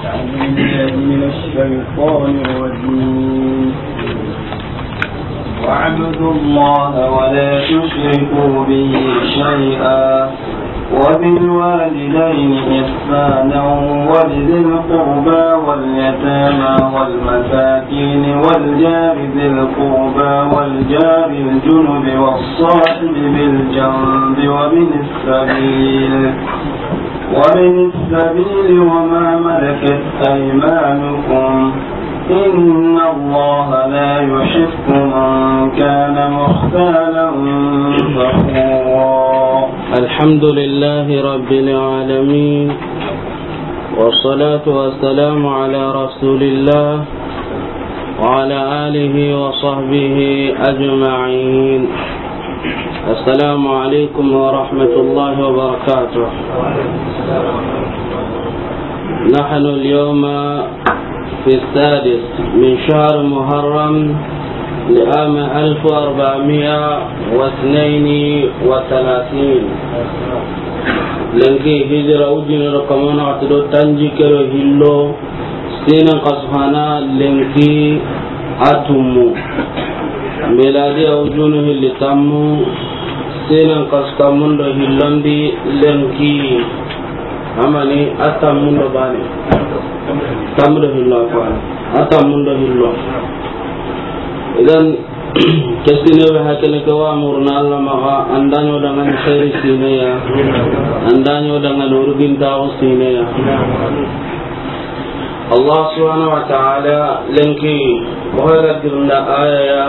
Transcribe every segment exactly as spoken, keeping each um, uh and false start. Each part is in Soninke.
أعوذ بالله من الشيطان الرجيم. واعبدوا الله ولا تشركوا به شيئا وبالوالدين إحسانا وبذي القربى واليتامى والمساكين والجار ذي القربى والجار الجنب والصاحب بالجنب وابن السبيل، وابن السبيل وما ملكت أيمانكم، إن الله لا يحب من كان مختالا فخورا. الحمد لله رب العالمين، والصلاة والسلام على رسول الله وعلى آله وصحبه أجمعين. السلام عليكم ورحمة الله وبركاته. نحن اليوم في السادس من شهر محرم لعام ألف وأربعمائة واثنين وثلاثين. Lenki hijira ujine do kamo naxati do tanjikke do hillo, sinan xasu hana lenki a tummu. Miladiya ujunu hilli tammu, sinan xasu tammun do hillondi lenki. Amani a tammun do bane. Tammu do hillo a ko a tammun do hillo. Idan, kesine be hakene ke wa murna Allah maxa, an da ɲo dangani xeeri sineya, an da ɲo dangani urgintaxu sineya. Allah subhanahu wa ta'ala lenki, o ga girnda aya ya,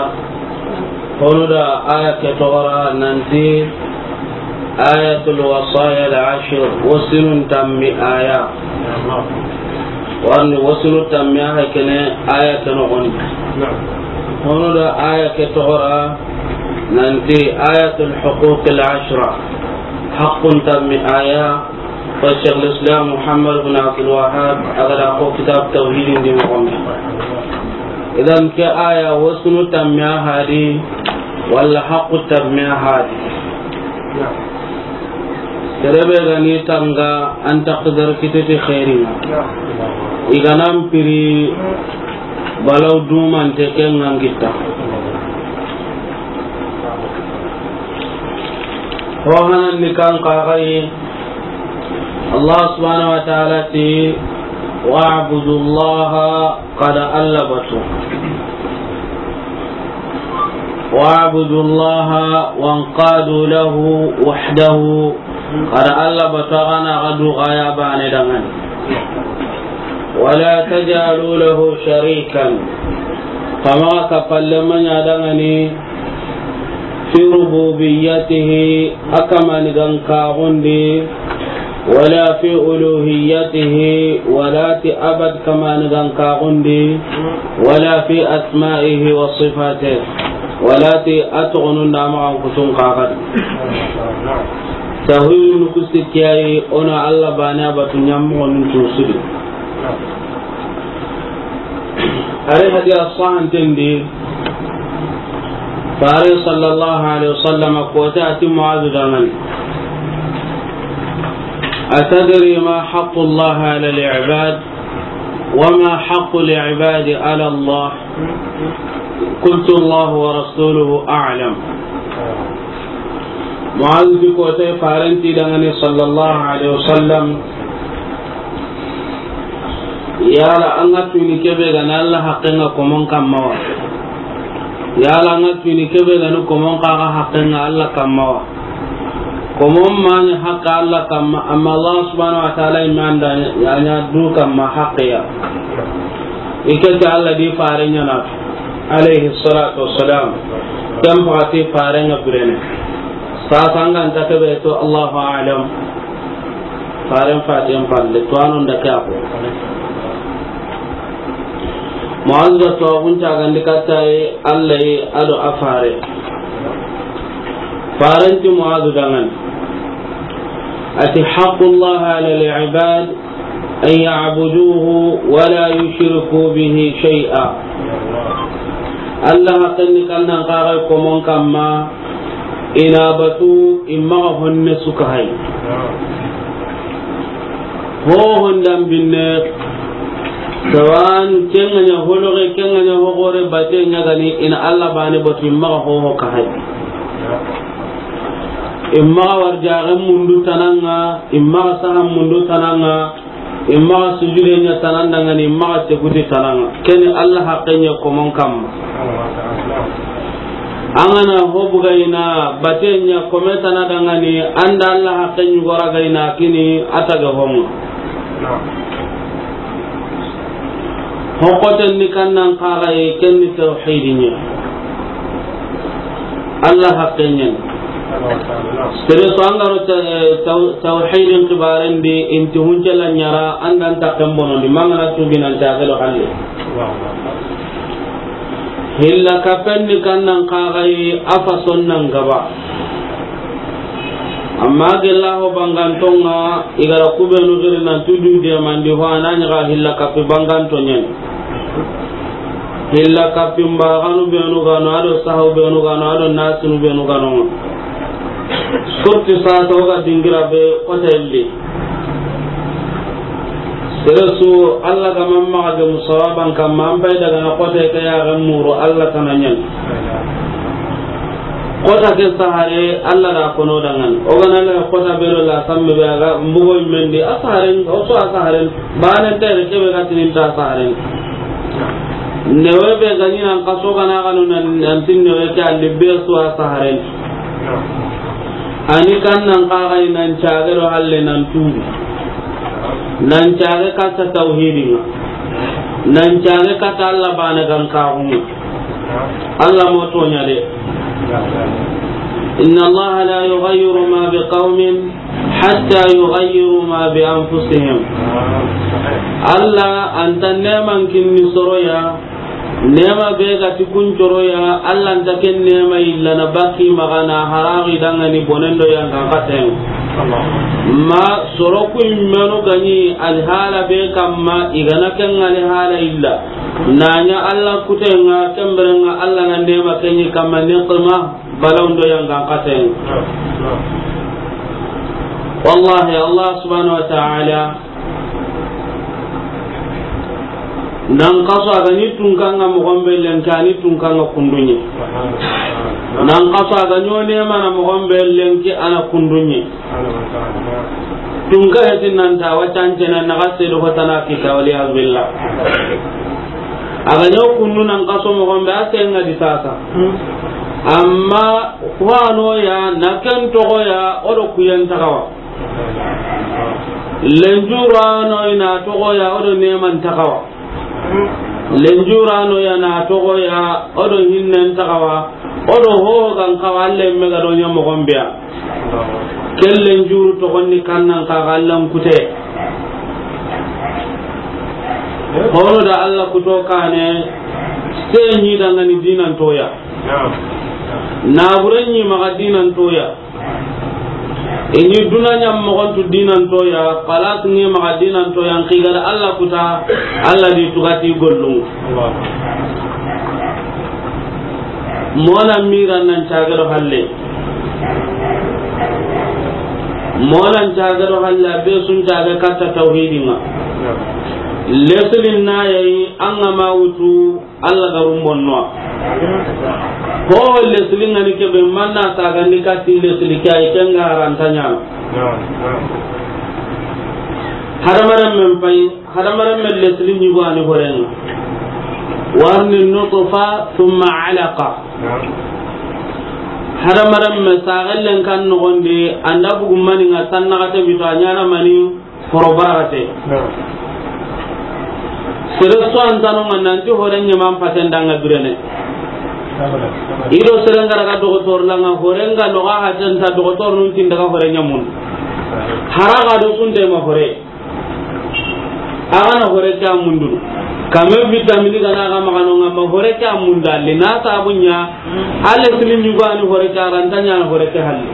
hono da aya ke toxora nanti, آية الوصايا العشر, wasinun tammi aya. Warni wasinu tammi aya kene, aya ke noxondi. Hono da aya ke toxora nanti آية الحقوق العشرة, haqqun tammi aya. Ko Cheikh al-Islam Muhammad bin Abdul Wahhab a ga da ko kitab Tawhidin di moxon di. Idan ke aya wasinu tammi a hadi, walla haqqu tammi a hadi. Sere be ga ni tanga an taqdar kititi xeeringa. I ga nan piri balaw dumante ke ŋa n gitta. Ho hanan ni kan kaxayi, Allah subhanahu wa ta'ala ti, واعبدوا الله Xa da Alla batu. واعبدوا الله وانقادوا له وحده. Xa da Alla batu, xa na xa du xa ya baane danŋa ni. ولا تجعلوا له شريكا. Xa maxa kappalenma ɲa danŋa ni. في ربوبيته, a kamanigan kaxundi, ولا في ألوهيته, wala ti a bat kamanigan kaxundi, ولا في أسمائه وصفاته, wala ti a toxonun da a maxan kutun kaxadi. Tawhidun ku sikki ya yi, o na Alla baane a batu ɲa moxonun tusudi. Ari hadiya sahanten di, Faare sallallahu alayhi wa sallam ko ti a ti Muazu danŋa ni, أتدري ما حق الله على العباد وما حق العباد على الله؟ قلت الله ورسوله أعلم. Muazu ti ko ti Faaren ti danŋa ni sallallahu alayhi wa sallam, yala an ga tuni kebe ga na Alla haqqen ŋa komon kamma wa? Yala an ga tuni kebe ga ni komon xa ga haqqen ŋa Alla kamma wa? Komon ma ɲa haqqe Alla kamma, amma Allah subhanahu wa ta'ala i ma an da ɲa du kamma haqqe ya. I ke ti Alla di Faare ɲa na, alayhi salatu wassalam. Ken paxati Faaren ŋa birene. Sasa an ga nta kebe to, Allahu a'lam. Faaren faten palle, to a no nda ke a ko. Muazu da to a gunta gandi katta yi Alla yi a do a Faare. Faaren ti Muazu danŋa ni, a ti, حق الله على العباد أن يعبدوه ولا يشركوا به شيئا. Alla haqqen ni kan nan xa ga komon kamma, i na batu, i maxa honne su ka hay. Hohon dan binne, sawan, ken ga ɲa holoxe, ken ga ɲa hoxore, bate ɲa ga ni, i na Alla baane batu, i maxa hoho ka hay. I maxa warjaxen mundu tana ŋa, i maxa sahan mundu tana ŋa, i maxa sujude ɲa tana n da ŋa ni, i maxa seguti tana ŋa. Ken ni Alla haqqe ɲa komon kamma. An ga na ho buga i na bate ɲa kome tana da ŋa ni, an da Alla haqqe ɲi gora ga i na kini a taga honga. Hokoten ni kannan kaxaye, ken ni tawhidi ɲa. Alla haqqe ɲa ni. Sere so an ga ro ta-, taw-, tawhidin xibaren di, inti huncela ɲara, an da n takken bonondi, ma an ga na tubi nan ta gelo halle. Hilla kapen ni kannan kaxaye, a fason nan gaba. Amma gella ho banganton ŋa, i ga ra kubenu giri nan tudu de mandi ho, a na ɲa ga hilla kapi banganto ɲa ni. Hilla kapi mbaxanu benu ga no, a do sahu benu ga no, a do nasinu benu ga no. Surti sasa o ga dingira be kota illi. Sere su, Alla ga ma maxa gemu sawaban kamma, an pay daga na kota ke ya ga muru Alla tana ɲa ni. Kota ke sahare, Alla da kono dangan. O ga na la kota be do la samme be ga mbugo mendi, a saharen, o so a saharen, bane tere ke be ga tinin ta saharen. Newe be ga ɲi nan kaso ga na ga no nan, nan tin newe ke alli be so a saharen. Ani kannan kaxaye nan cage do halle nan tubi. Nan cage katta tawhidin ŋa. Nan cage katta Alla baane gan kaxun ŋa. Alla mo toɲa de. Inna Allaha la yughayyiru ma bi qawmin hatta yughayyiru ma bi anfusihim. Alla a nta neman kinni soro ya, nema be ga ti kun coro ya, Alla nta ken nema yilla na baki maxa na haraxi da ŋa ni bonen do yangan katen. Ma soro ku i menu ga ɲi alhala be kamma, i ga na ken alhala yilla. Na ɲa Alla kuten ŋa, ken beren ŋa Alla na nema ken ɲi kamma niqma, balaw ndo yangan katen. Wallahi, Allah subhanahu wa ta'ala, nan kaso a ga ni tunkan ŋa moxon be lenki, a ni tunkan ŋa kundun ɲi. Nan kaso a ga ɲo nemana moxon be lenki, a na kundun ɲi. Tunka heti nan ta wa cancena na ga sedo hotana kita, wal iyaz billah. A ga ɲo kundu nan kaso moxon be, a senga di sasa. Amma wano ya, na ken toxo ya, o do kuyen taxawa. Lenjurano i na toxo ya, o do neman taxawa. Lenjurano ya na toxo ya, o do hinnen taxawa. O do ho gan xawa, Alla me ga do ɲa moxon be ya. Ken lenjuru toxon ni kannan kaxa Allan kute. Hono da Alla kuto kane, se ɲi da ŋa ni dinan toya. Naburen ɲi maxa dinan toya. I ni duna ɲa moxon tu dinan toya, palas ni maxa dinan toya, n xigara Alla kuta, Alla di tugati gollun. Mona mira nan cage do halle. Mona cage do halle, a be sun cage katta tawhidin ŋa. Leslin na yayi, an ga ma wutu, Alla ga rumbonno. Ho lesli ŋa ni kebe, manna sagandi kati lesli ke, ay ken ga haranta ɲana. Hadamaren men pay, hadamaren men lesli ɲi go a ni horen ŋa. Warni nutfa, thumma alaqa. Hadamaren men sagellen kan nogondi, an da bugu mani ŋa, sanna ga te bito a ɲana mani. Foro baragate. Sere so an tano ŋa nanti hore ɲaman paten da ŋa birene. I do sere ŋa ra ga dogotor la ŋa, hore ŋa no ga haten ta, dogotor nun tin daga hore ɲamun. Hara ga do sunte ma hore. A ga na hore ke a mundunu. Kame vitamini ga na ga maxa no ŋa ma hore ke a munda li na sabu ɲa. Alle sili ɲugani hore ke a ranta ɲana hore ke halle.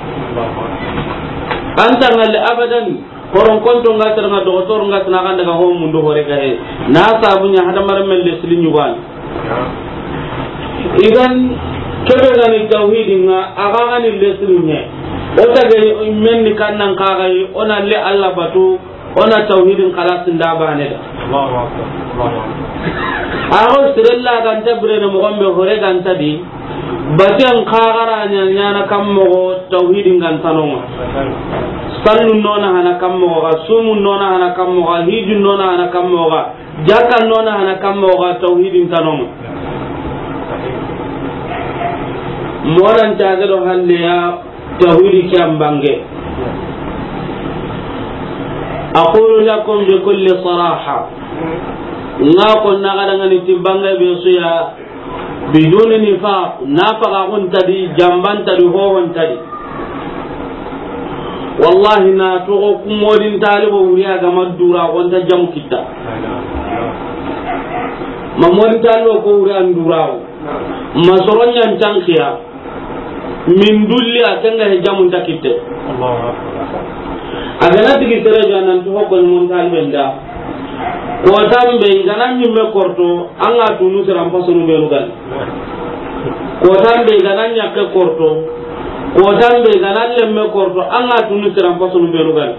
Anta ŋalle abadan. Horon konto nga tara nga dogotor nga tana kan daga ho mundu hore ga he. Na sabu ɲa hadamaren men lesli ɲugani. Idan kebe gani tawhidin ŋa, a ga gani lesli ɲe. O ta ga men ni kannan ka ga yi, o na le Alla batu, O na tawhidin xalasin da bane da. Allahu akbar. Allahu akbar. Ago sirella ganta birene moxon be hore ganta di. Baten xaxara ɲaɲana kam moxo tawhidin gantanonga. Sallu nona hana kam moxo ga, sumu nona hana kam moxo ga, hiju nona hana kam moxo ga, jaka nona hana kam moxo ga, tawhidin tanonga. Moran cage do halleya. Tawhidi ke an bange. Aqulu lakum bi kulli saraha. Nga ko na ga dangani ti bange be suya, biduni nifaq, na faga gun tadi, jamban tadi, hohon tadi. Wallahi na togo ku modin talibo wuri a ga ma dura gonta jamu kitta. Ma modin talibo ko wuri an dura. Ma soronyan tankiya. Min dulli a kenga he jamun ta kitte. Allahu akbar. A gana tigi sere ja nan to ko mon talben da. Ko tambe gana nyimme korto, an ga tunu siran pasunu benu gan. Ko tambe gana nyakke korto. Ko tambe gana lemme korto, an ga tunu siran pasunu benu gan.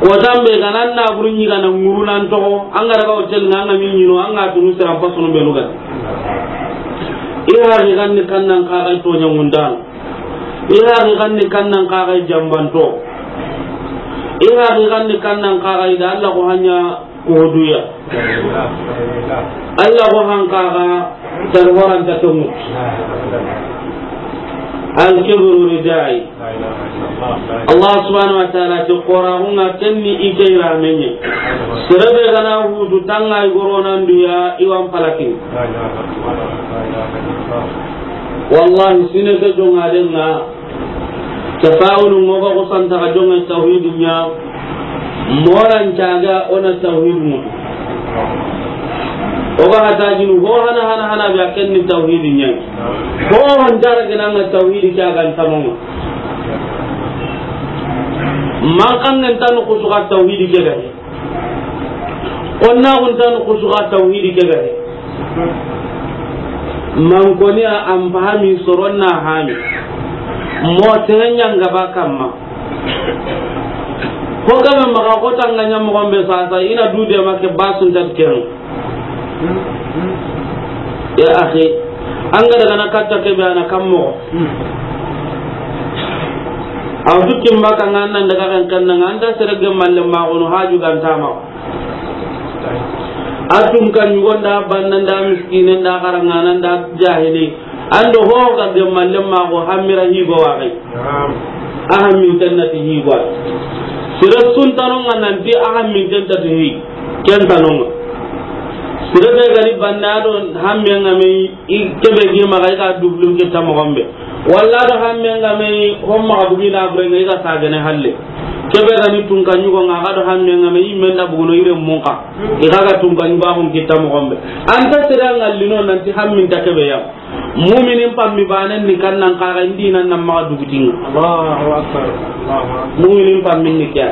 Kotan be gana na buru ɲi gana ŋuru nan toxo, an ga daga hotel nga, an ga min ɲino, an ga tunu siran pasunu benu gana. I haqiqan ni kannan kaxay toɲa ŋundan. I haqiqan ni kannan kaxay jambanto. I haqiqan ni kannan kaxay da Allah ko hanya ko duya. Allah ko hankaxa tan horanta tongu. Al kibru ridai. Allah subhanahu wa ta'ala ti qoraxunga kenni i ke iramenye. Serebe gana hutu tanga i goronanduya iwan palakin. Wallahi sine ke jongadenga. Tafawulu ŋo ga xo santa ga jonga tawhidi ɲa. Moran caga o na tawhidi mutu. O ga hata jinu ho hana hana hana be a ken ni tawhidi ɲa. Ho hon jara gina nga tawhidi ke a ga ntamonga. Man kan ngen tanu kusuka tawhidi ke ga. Konna guntan kusuka tawhidi ke gare. Man koni a an fahami soronna hami. Mo terenya ngaba kamma. Ko gabe maga ko tanganya mo gombe sasa ina dude make basun tatken. Ya akhi, an ga daga na katta ke be ana kammo. Aw dukkin baka ngan nan daga kan kan nan anta serege malle ma gono haju gantama. A tunka ɲugo nda banna nda miskine nda xarangana nda jahili. Ando ho ga gemmalle ma go hamira higo wa gai. A hamminten na ti higo wa. Sere sun tanonga nanti a hamminten ta ti hi. Ken tanonga. Sere be gani banna do hammenga me i kebe gi maga i ga dublun ke tamo gombe. Walla do hamme nga me homma ga bugi na bure nga i ga sagene halle. Kebe ga ni tunka ɲugo nga ga do hamme nga me i men da buguno ire munka. I ga ga tunka ɲugo a hon kitta mo gombe. Anta sira ngallino nanti hammin ta kebe ya. Muminin pammi banen ni kannan kaga indi nan nan maga dugutinga. Allahu akbar. Allahu akbar. Muminin pammin ni kya.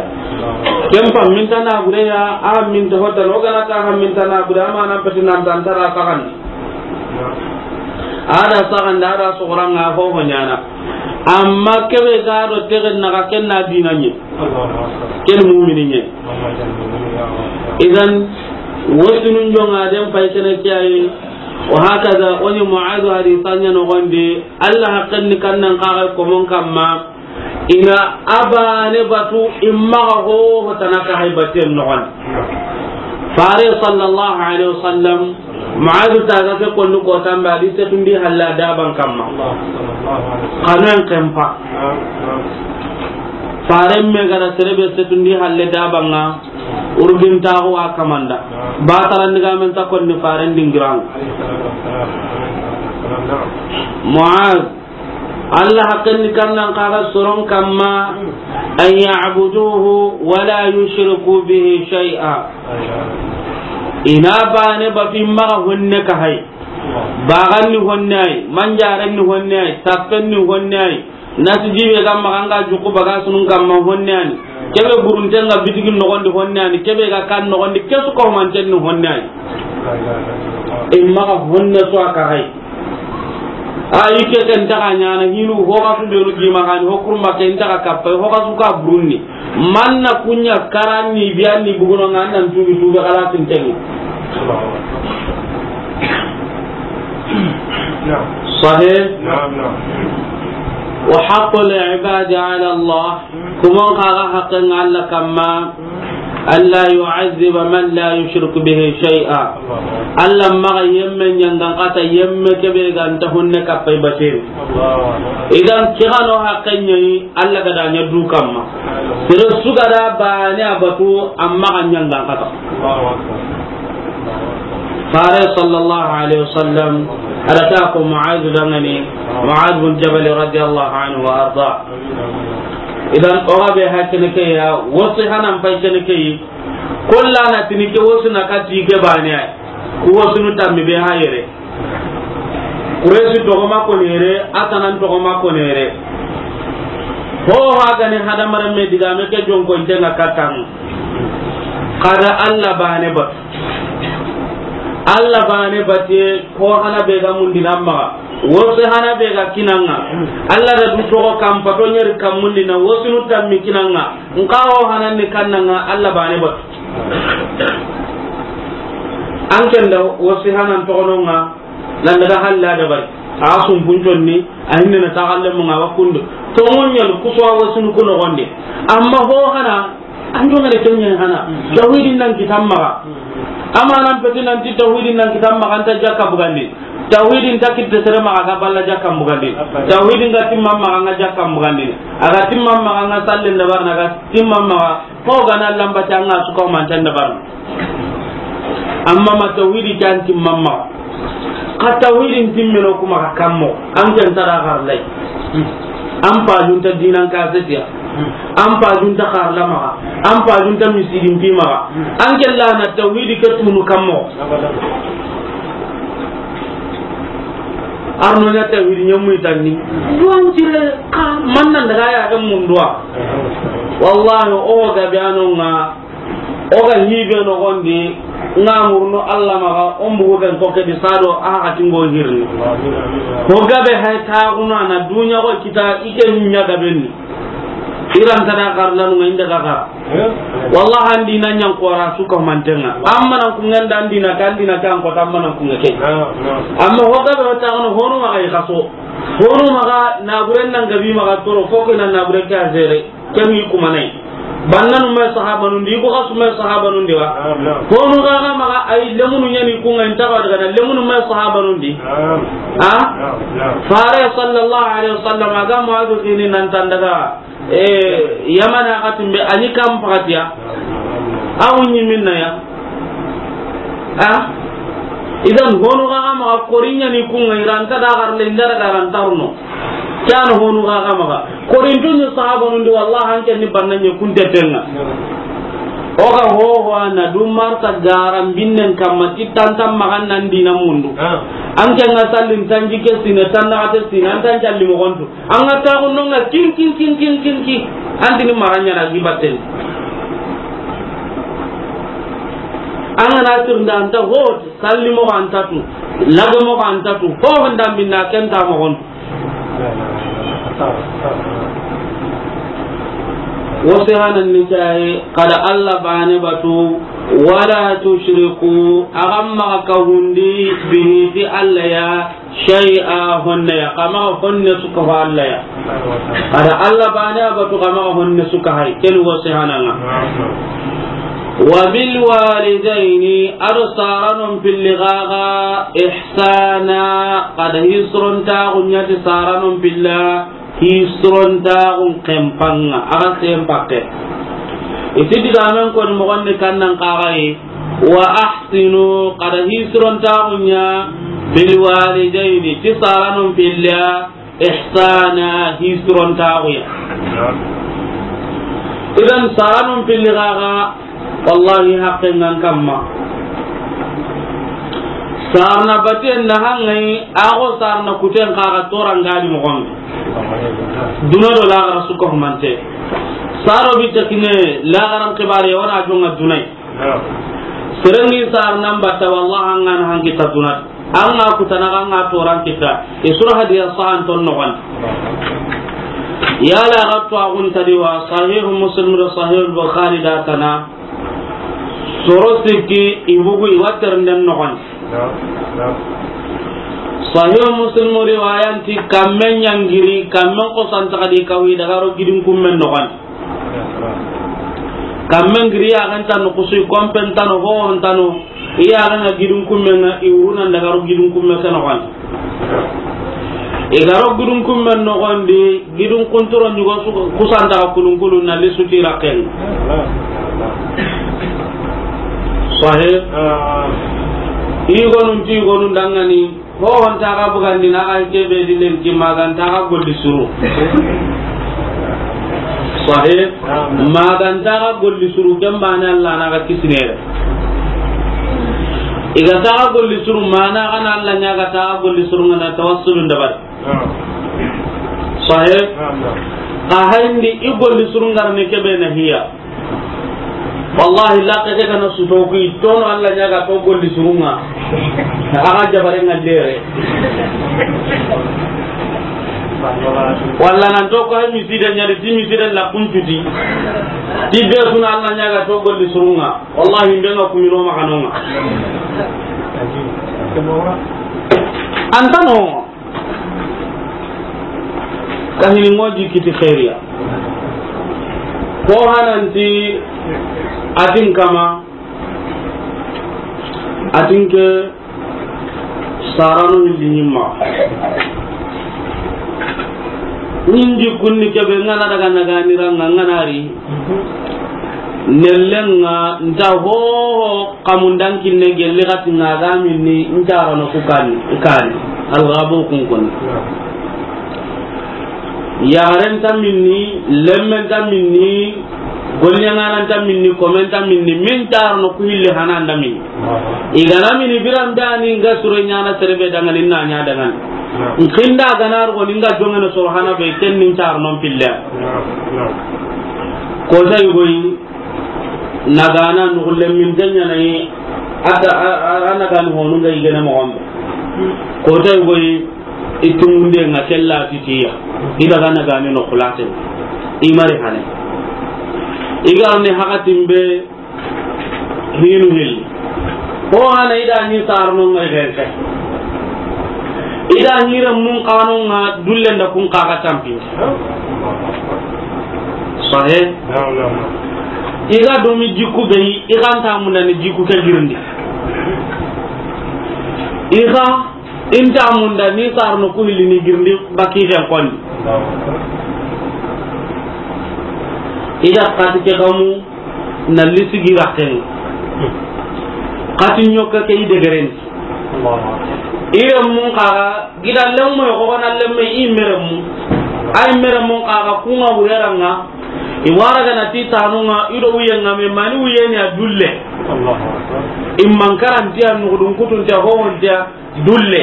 Ken pammin ta na bure ya, a min ta hota no gana ta hammin ta na bure ama nan peti nan tan tara sagan. Ada saxanda, ada soxoranga, ho ho ɲana. Amma kebe ga do tegen na ga ken na dina ɲi. Ken mumini ɲi. Idan, wasunun jonga den pay kene kiyaye. Wa hakaza, oni Mu'adh hadisa ɲa no gonde. Allah haqqen ni kannan kaga ko mon kamma. Ina abane batu imma ga ho ho tanaka hay baten no gon. Fare sallallahu alaihi wasallam, Mu'adh ta ga ke konnu ko tamba di setundi halla daban kamma. Kanan kempa. Fare me gara serebe setundi halle dabanga. Urgin taxu a kamanda. Ba tarandiga men ta konni faren dingirang. Mu'adh, Allah haqqen ni kannan kaga soron kamma, an ya'buduhu wa la yushriku bihi shay'a. Ina bane ba fi maga honne ka hay. Bagan ni honne ay, manjaren ni honne ay, tappen ni honne ay. Nasi jibe ga maga nga juku baga sunun kamma honne ani. Kebe burunten ga bitigin nogondi honne ani. Kebe ga kan nogondi kesu ko manten ni honne ani. Imma ga honne so aka hay. A yi ke ken taga ɲaana hinu, ho ga su benu gima gani, ho kurma ken taga kappa, ho ga su ka burunni. Manna kunya karanni, biyanni buguno nga nan tubi tubi kala tintengi. Sahih? Naam, naam. Wa haqqul ibadi ala Allah. Kuma n kaga haqqen Alla kamma, alla yu'azziba man la yushriku bihi shay'a. Alla maxa yemme ɲangan kata yemme kebe ga nta honne kappay baten. Idan kigano haqqen ɲayi Alla ga da ɲa du kamma. Sere su ga da bane a batu amma ga ɲangan kata. Fare sallallahu alaihi wasallam, a da ta ko Mu'adh dangani, Mu'adh bin Jabal radiyallahu anhu wa arda. Idan, o ga be ha kene ke ya, wasu hanan pai kene ke yi, kolla na tini ke wasu na kati ke bane ay. Ku wasu nu tammi be ha yere. Kuresi togoma konere, atanan togoma konere. Ho ha gani hadamaren me digame ke jonko intenga katan. Kada Alla bane batu. Alla bane batiye ko hana be ga mundi nan maxa. Wose hana be ga kinanga. Alla da du togo kam pato ɲeri kam mundi na wosunu tammi kinanga. Nka ho hanan ni kannanga Alla bane batu. An kenda wose hanan togononga. Nan daga halla da bari. A sumpun conni, a hinne na taxalle mo nga wa kundu. To mon ɲal kuswa wasunu kuno gonde. Amma ho hana, an jonga de tenya hana. Tawhidin nan kitam maxa. Amma nan peti nan ti tawhidin nan kitam maxa anta jakka bugandi. Tawhidin ta kitte sere maxa ga balla jakka bugandi. Tawhidin ga timma maxa nga jakka bugandi. Aga timma maxa nga sallen da barna ga timma maxa. Ko gana lamba tanga su ko man tan da barna. Amma ma tawhidi kan timma maxa. Ka tawhidin timmeno kuma ka kammo, an ken tara xarlay. An pajunta dinan ka setiya. An pajunta xarla maxa. An pajunta misidin pi maxa. An kella na tawhidi ke tunu kammo. Arno ɲa tawhidi ɲamu itanni. Duwan tire ka mannan daga ya ga mundwa. Wallahi o ga biano nga. O ga hibe no gondi, nga murno Alla maxa, o mbugu ben ko ke di sado, a hati ngo hirni. Ko gabe hay ta guna na dunya ko kita ike nya gabe ni. Iran tada kar lanu nga inda ga ga. Wallahi andi na ɲan ko ra su ko mantenga. Amma nan ku nganda andi na kan dina kan ko tamma nan ku ngake. Amma ho gabe ta guna hono maxa i kaso. Hono maxa na buren nan gabi maxa toro ko ke nan na buren ka zere. Kemi kumanai. Bannanu me sahabanun di, ko kasu me sahabanun di wa. Naam, naam. Honu ga ga maxa ay lemunu ɲani kunga inta ba daga lemunu me sahabanun di. Naam. Ha? Naam, naam. Fare sallallahu alaihi wasallam aga Mu'adh kini nan tan daga, eh, Yamana katimbe ani kam pakatiya. Awu ni minna ya. Ha? Idan honu ga ga maxa korinya ni kunga iranta da garle ndara garantarno. Kano honu ga ga maxa. Korintu ni sahabanun di, wallahi, an ken ni banna ɲe kunte tenga. O ga ho ho ana du marta garan binnen kamma ti tantan maxa nan dina mundu. Ah. An ken ga sallin tanji ke sine, tan na ate sine, an tan jalli mo gontu. An ga ta gonno nga kin, kin, kin, kin, kin, kin. An dini maranya na gibaten. An ga na tirnda anta ho, salli mo anta tu, lage mo anta tu, ho honda minna ken ta mo gontu. Wose hanan ni caye, kada Alla bane batu, wala tushriku, agamma ka hundi, bihi ti Alla ya, shay'a, honne ya, kama honne suka ho Alla ya. Kada Alla bane batu, kama honne suka hay, ken wose hananga. Wa bil walidaini, ado saranon pilli gaga ihsana, kada hisrontaxu ɲa ti saranon pilla, hisrontaxun kempanga, aga sempakke. Iti digamen koni moxonni kannan kaxayi, wa ahsinu, kada hisrontaxu ɲa bil walidaini, ti saranon pilla, ihsana, hisrontaxuya. Idan saranun pilli gaga, wallahi, haqqen ngan kamma. Sarna baten na hangai, ago sarna kuten kaga torangadi moxon. Duna do lagara suka humante. Saro bi takine lagaran kibare wana jonga dunai. Serengi sarnan batta, wallahi, an gan hangi ta dunat. An ga kutana, an ga toran kita. I sura hadiya sahan ton noxon. Yala ga to agun tadi wa Sahih Muslim do Sahih Bukhari da tana. Soro sikki i bugu i watter den noxon. Sahih Muslim riwayanti kammen yangiri, kammen kosan takadi kawi daga ro gidin kummen noxon. Kammen giri ya ganta no kusu kompen tano ho on tano. Iya gana gidin kummen na i wuruna daga ro gidin kummen ke noxon. I ga ro gidin kummen noxon di, gidin kuntoro nyugo su kusanta kulun kulun na li suti raken. Sahih. I gonun ti gonun dangani. Ho hon taga bugandi na ga ke be di lenki maganta ga golli suru. Sahih. Maganta ga golli suru, ken bane Allah na ga kisinere. I ga taga golli suru, mana ga na Allah nya ga taga golli suru ngana tawassulun dabar. Sahih. Ka hayndi i golli suru ngar ne ke be na hiya. Wallahi, la ke kana su to ku i tono Allah nya ga to golli surunga. Aga jabare ngallere. Walla nan to ko hay misida nya di misida la kuntuti. Ti be suna Allah nya ga to golli surunga. Wallahi, mbe nga kumino makanonga. Antano. Kahini ŋo jikki ti xeeriya. Ko hananti atin kama, atin ke saranu hilli ɲimma. Nin jikkunni kebe ŋana daga naganiranga ŋanari. Nellenga nta hoho kamundan kinne gelli xati ŋa ga minni ncarano ku kani, kani. Algabo kun koni. Yaxaren ta minni, lemmen ta minni, golɲaŋanan ta minni, komen ta minni, min carano ku hilli hana nda minni. I gana mini biran dani nga sure ɲana serebe dangani na ɲa dangani. Nkinda gana ro ni nga jongene soro hana be ken nin carano pille. Ko tay goyi. Nagana nuxulle min tenyanayi. Ata anagani honu nga yigene moxombe. Kotay goyi. Itungunde nga kella titiya. Idaga nagani no xulate. Imari hane. Igarne hakatin be. Hinu hilli. Ko hana ida ni sarno ngai genke. Ida hira mun kano nga dulle nda kun kaka tampin. Sahe. Iga domi jiku be, iga nta munda ni jiku ke girindi. Iga inta munda ni sarno ku hilli ni girindi baki ken kondi. Ida kati ke kamu na lisigi raken. Kati ɲoka ke i degeren. Ire mun kaga gida lemmo ko na lemme i meremu. Ay meremu kaga kunga wureranga. I wara gana ti tanunga ido uyenga me mani uyeni a dulle. Imman karantiya nugudun kutuntiya howontiya. Dulle.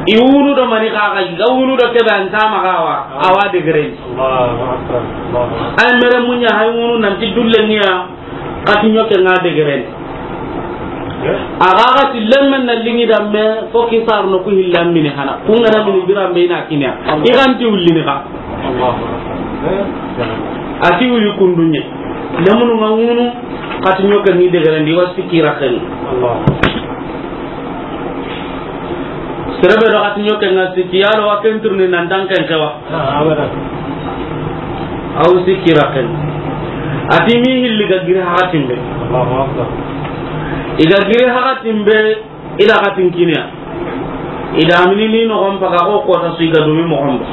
I wunu do mani kaga, i ga wunu do kebe an kama gawa, awa degeren. Ay mere munya hay wunu nanti dulle niya, kati ɲoke nga degeren. Aga ga ti lemmen na lingi da me, fo ki sarno ku hillan mini hana. Ku ngana mini biran be ina kinya. I ganti ullini ka. Ati uyu kundunye. Lemunu nga wunu, kati ɲoke ni degeren di wasi kira ken. Serebe do hati ɲoke nga sikki yalo wa ken turni nan dan ken kewa. Aw sikki raken. Ati mi hilli ga giri hakatin be. I ga giri hakatin be, ila hatin kinya. I da mini ni no gompa ga ko kota su i ga dumi mo gomba.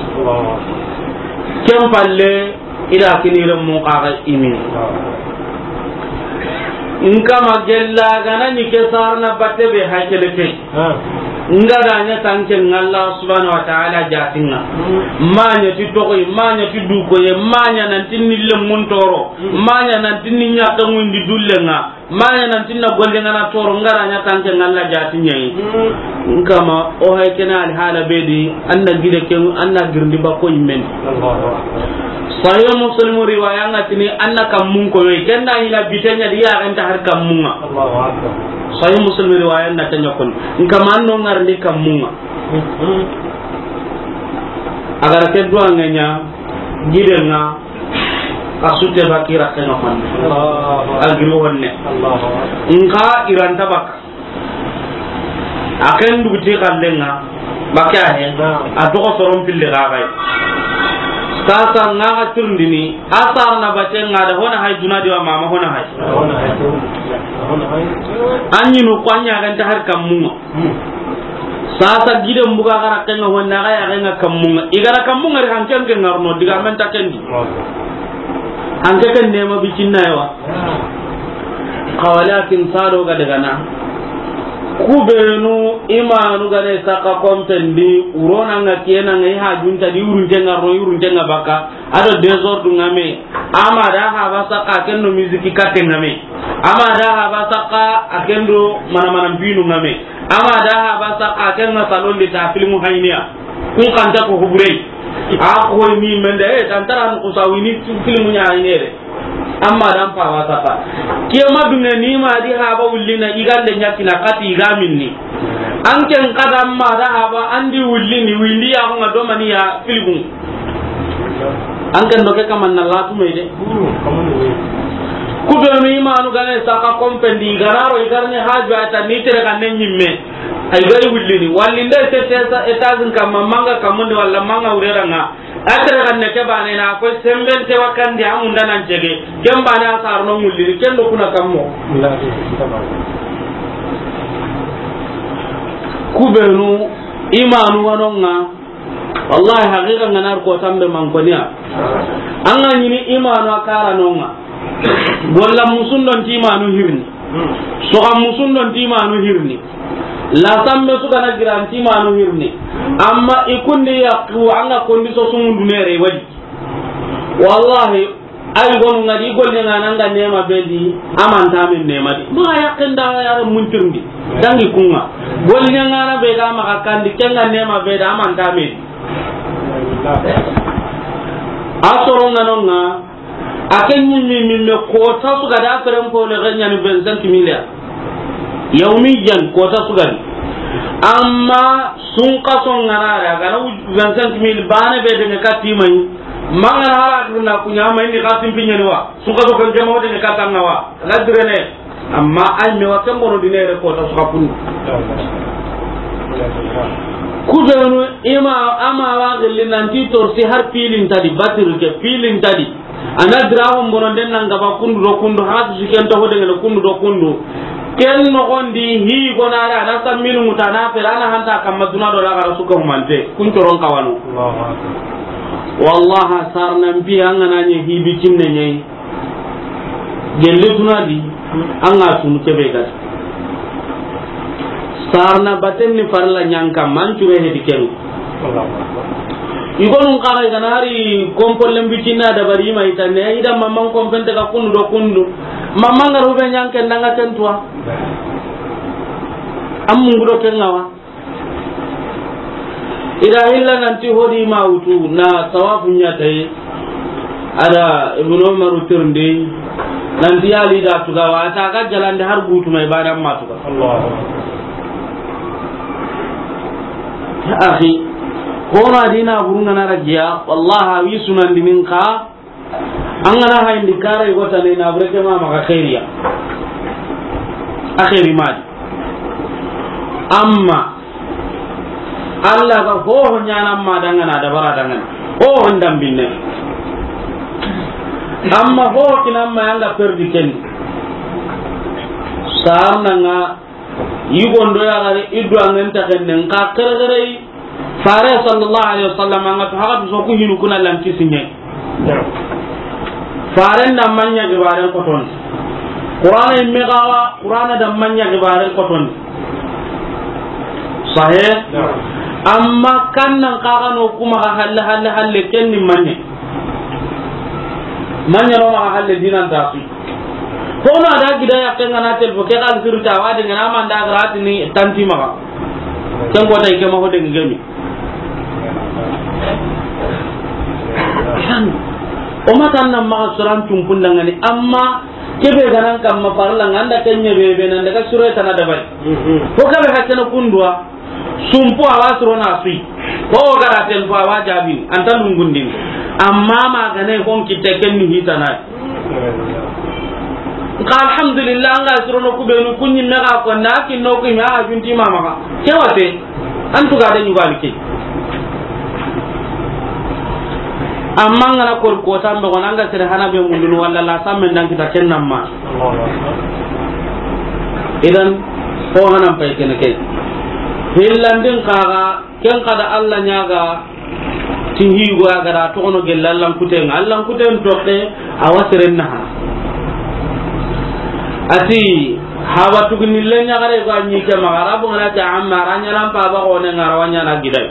Ken palle, ida kinire mun kaga imi. Nkama gella gana ni ke sarna batte be haykele ke. Nga da nya tanke ngalla subhanahu wa ta'ala jatinga. Manya ti togoy, manya ti dukoye, manya nan tinni lemmun toro, manya nan tinni ɲaka ngundi dullenga. Manya nan tinna golle ngana toro ngara nya tanke ngalla jati nyai. Nkama o hay kena al hala bedi anna gide ken anna girndi ba ko immen. Sahih Muslim riwaya nga tini anna kammun ko yoy kenna ina bitenya diya ganta har kammunga. Sahih Muslim riwaya na tanya kon. Nka manno ngarndi kammunga. Agara ke duwa nganya gidenga. Asute bakira kena man. Allahu Akbar. Agiri wonne. Allahu Akbar. Nka iranta baka. Aken duguti kallenga. Baka he. Naam. A toxo soron pille ga gay. Sasa nga ga turndini. Asar na batenga da hona hay duna diwa mama hona hay. An ñi no ko an ña ganta har kammunga. Sasa giden buga gara kenga honna ga ya kenga kammunga. I gara kammunga ri hanken ke ngarno diga men ta kendi. Hanke ken nema bicinna yawa. Xa walakin sado ga daga na. Kubenu imanu gane saka kompendi urona nga kena nga i hajunta di urunte ngarno urunte nga baka. Ado désordre ngame. Ama da haba saka kendo musique katte ngame. Ama da haba saka akendo mana mana binu ngame. Ama da haba saka kenga salon de ta filmu hayniya. Kun kanta ko huburey. A ko ni mende e tantara no ko sawini filmu nya haynere. Amma dan pa wa saka. Kiyama dunga ni ma di haba wullina igande nyakina kati igaminni. An ken kada amma da haba andi wullini windi ya ko nga domani ya filmu. An kan doke kaman na latu me de. Kubenu imanu gane saka kompendi gararo igarne haju ata ni tere kan ne nyimme. Ay gari wullini wallinde se tesa etazin kamma manga kamunde walla manga ureranga. Atre kan ne ke bane na ko semben te wakandi amunda nan jege. Ken bane asar no wullini ken do kuna kammo. Kubenu imanu wanonga. Wallahi, haqiqa nga nar ko tambe man ko niya. An ga ñini imanu a kara nonga. Golla musun don ti imanu hirni. Soga musun don ti imanu hirni. La sambe suka na giran ti imanu hirni. Amma ikundi ya ku an ga kondi so sumun dunere wadi. Wallahi, ay gonu ngadi golle ngana nga nema bedi amanta min nema di. Maga yakin da yar muntirndi. Dangi kunga. Golle ngana be ga maga kandi kenga nema bedi amanta min. Asoro nganonga. Aken nyimmi mimme ko tasu ga da feren ko le ganya ni vingt-cinq milliards. Yawmiyan kota sugani. Amma sunkaso ngana ra gana vingt-cinq mille bane be de ka timani. Mangana hara na kunya ma indi kasim pinyani wa. Sunkaso kan jama de ka tanga wa. La direne. Amma ay me wa kan bono dinere kota suka kun. Kubenu ima ama wa gilli nanti torsi har pilin tadi batir ke pilin tadi. Ana diraxon bononden nan gaba kundu do kundu, hatu siken toxo dengene kundu do kundu. Ken noxondi hi gonare ana samminu ŋuta na fere ana hanta kamma duna do laxara suka humante kun coron kawano. Allahu Akbar. Wallahi sarnan pi an gana ñe hi bicinne ñe. Gelle duna di an ga sunu kebe gati. Sarna baten ni farla ñanka man cure hedi ken. Igonun kaga igana hari kompollen bicinna dabari ma itane ida mamman kompente ka kundu do kundu. Mamman garu be ñanke ndanga ken tuwa. Am mungu do ken ngawa. Ida hilla nanti hodi ma wutu na tawafu ñatayi. Ada Ibnu Umaru tirndi nanti yali da tuga wa ta ga jalande har gutu mai badan ma tuga. Allahu. Ya akhi, hona dina burunga na rajiya wallahi wi sunan dinin ka. An gana hayndi kara yugo tane na bure ke ma maxa xeeriya. A xeeri madi. Amma Allah ga hoho ñana ma dangana dabara dangana. Hoho ndambinne. Amma hoho kinamma yanga perdi ken. Sarna nga Yigondo ya gare iddu angen taxennen ka xerexerey. Fare sallallahu alaihi wasallam anga to haga so ku hinu kuna lan kisiñe. Faren da manya gibaren koton. Qur'ana imme gawa Qur'ana da manya gibaren koton. Sahe. Amma kannan kaga no kuma halle halle halle kenni manye. Manya no ma halle dinan tafi. Hono a da gida ya kenga na telfo ke kal sirta wa de ngana manda grati ni tanti maga. Ken ko tay ke ma ho de ngemi. O ma tan na maga suran tumpun dangani amma Kebe ga nan kamma farla nga, an da ken ɲa be be nan daga sure tana dabari. Ko kebe hakkene kunduwa, sumpu a wa suro na sui. Ko gara ten fo a wa jaabini, an ta lungundini. Amma ma ga ne hon kitte ken ni hitana. Nka alhamdulillah, an ga suro no ku be nu ku ɲi me ga ko na ki no ku me a junti mama. Ke wate. An tuga de ɲugani ke. Amma an ga na kori kota mbe gona, an ga sere hana be mundunu walla la samme ndan kita ken namma. Idan, ko hanan pay kene ke. Hillandin kaga, ken kada Allah ɲaga, ti higo ya gara toxono gella Allan kuten, Allan kuten toxe, a wa seren naha. Ati, haba tuguni le ɲagare ga ɲi ke maxa, Arabu ngana ta amma, a ra ɲanan pa ba xone nga, a ra wa ɲana gidai.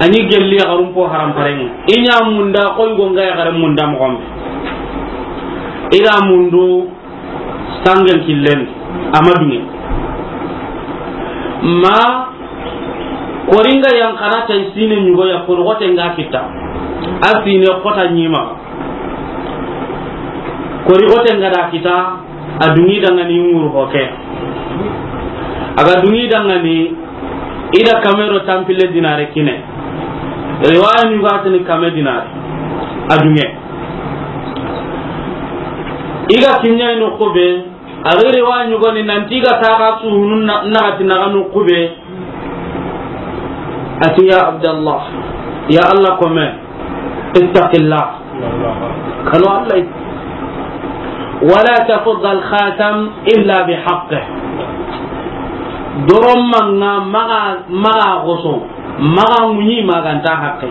A ɲi gelli yaxarun po haram paren. I ɲa munda, koy go nga yaxare munda moxon be. I ga mundu sangen killen, a ma dunge. Ma, koringa yan kana tay sine ɲugo ya, kori xote nga kita. A sine xota ɲima. Kori xote nga da kita, a dungi dangani nguru hoke. A ga dungi dangani, i da kame do tampille dinare kine. Riwaya ɲugatini kame dinare. A dunge. I ga kiɲa no ko be, a ga riwaya ɲugoni nanti i ga taga suhunu na, nagati naga no ko be. Ati, ya Abdallah, ya Allah kome, ittaqillah. Kanu Allah. Wala tafudda al-khatam illa bi haqqih. Doron manga maga, maga goso, maga ŋuɲi, maganta haqqe.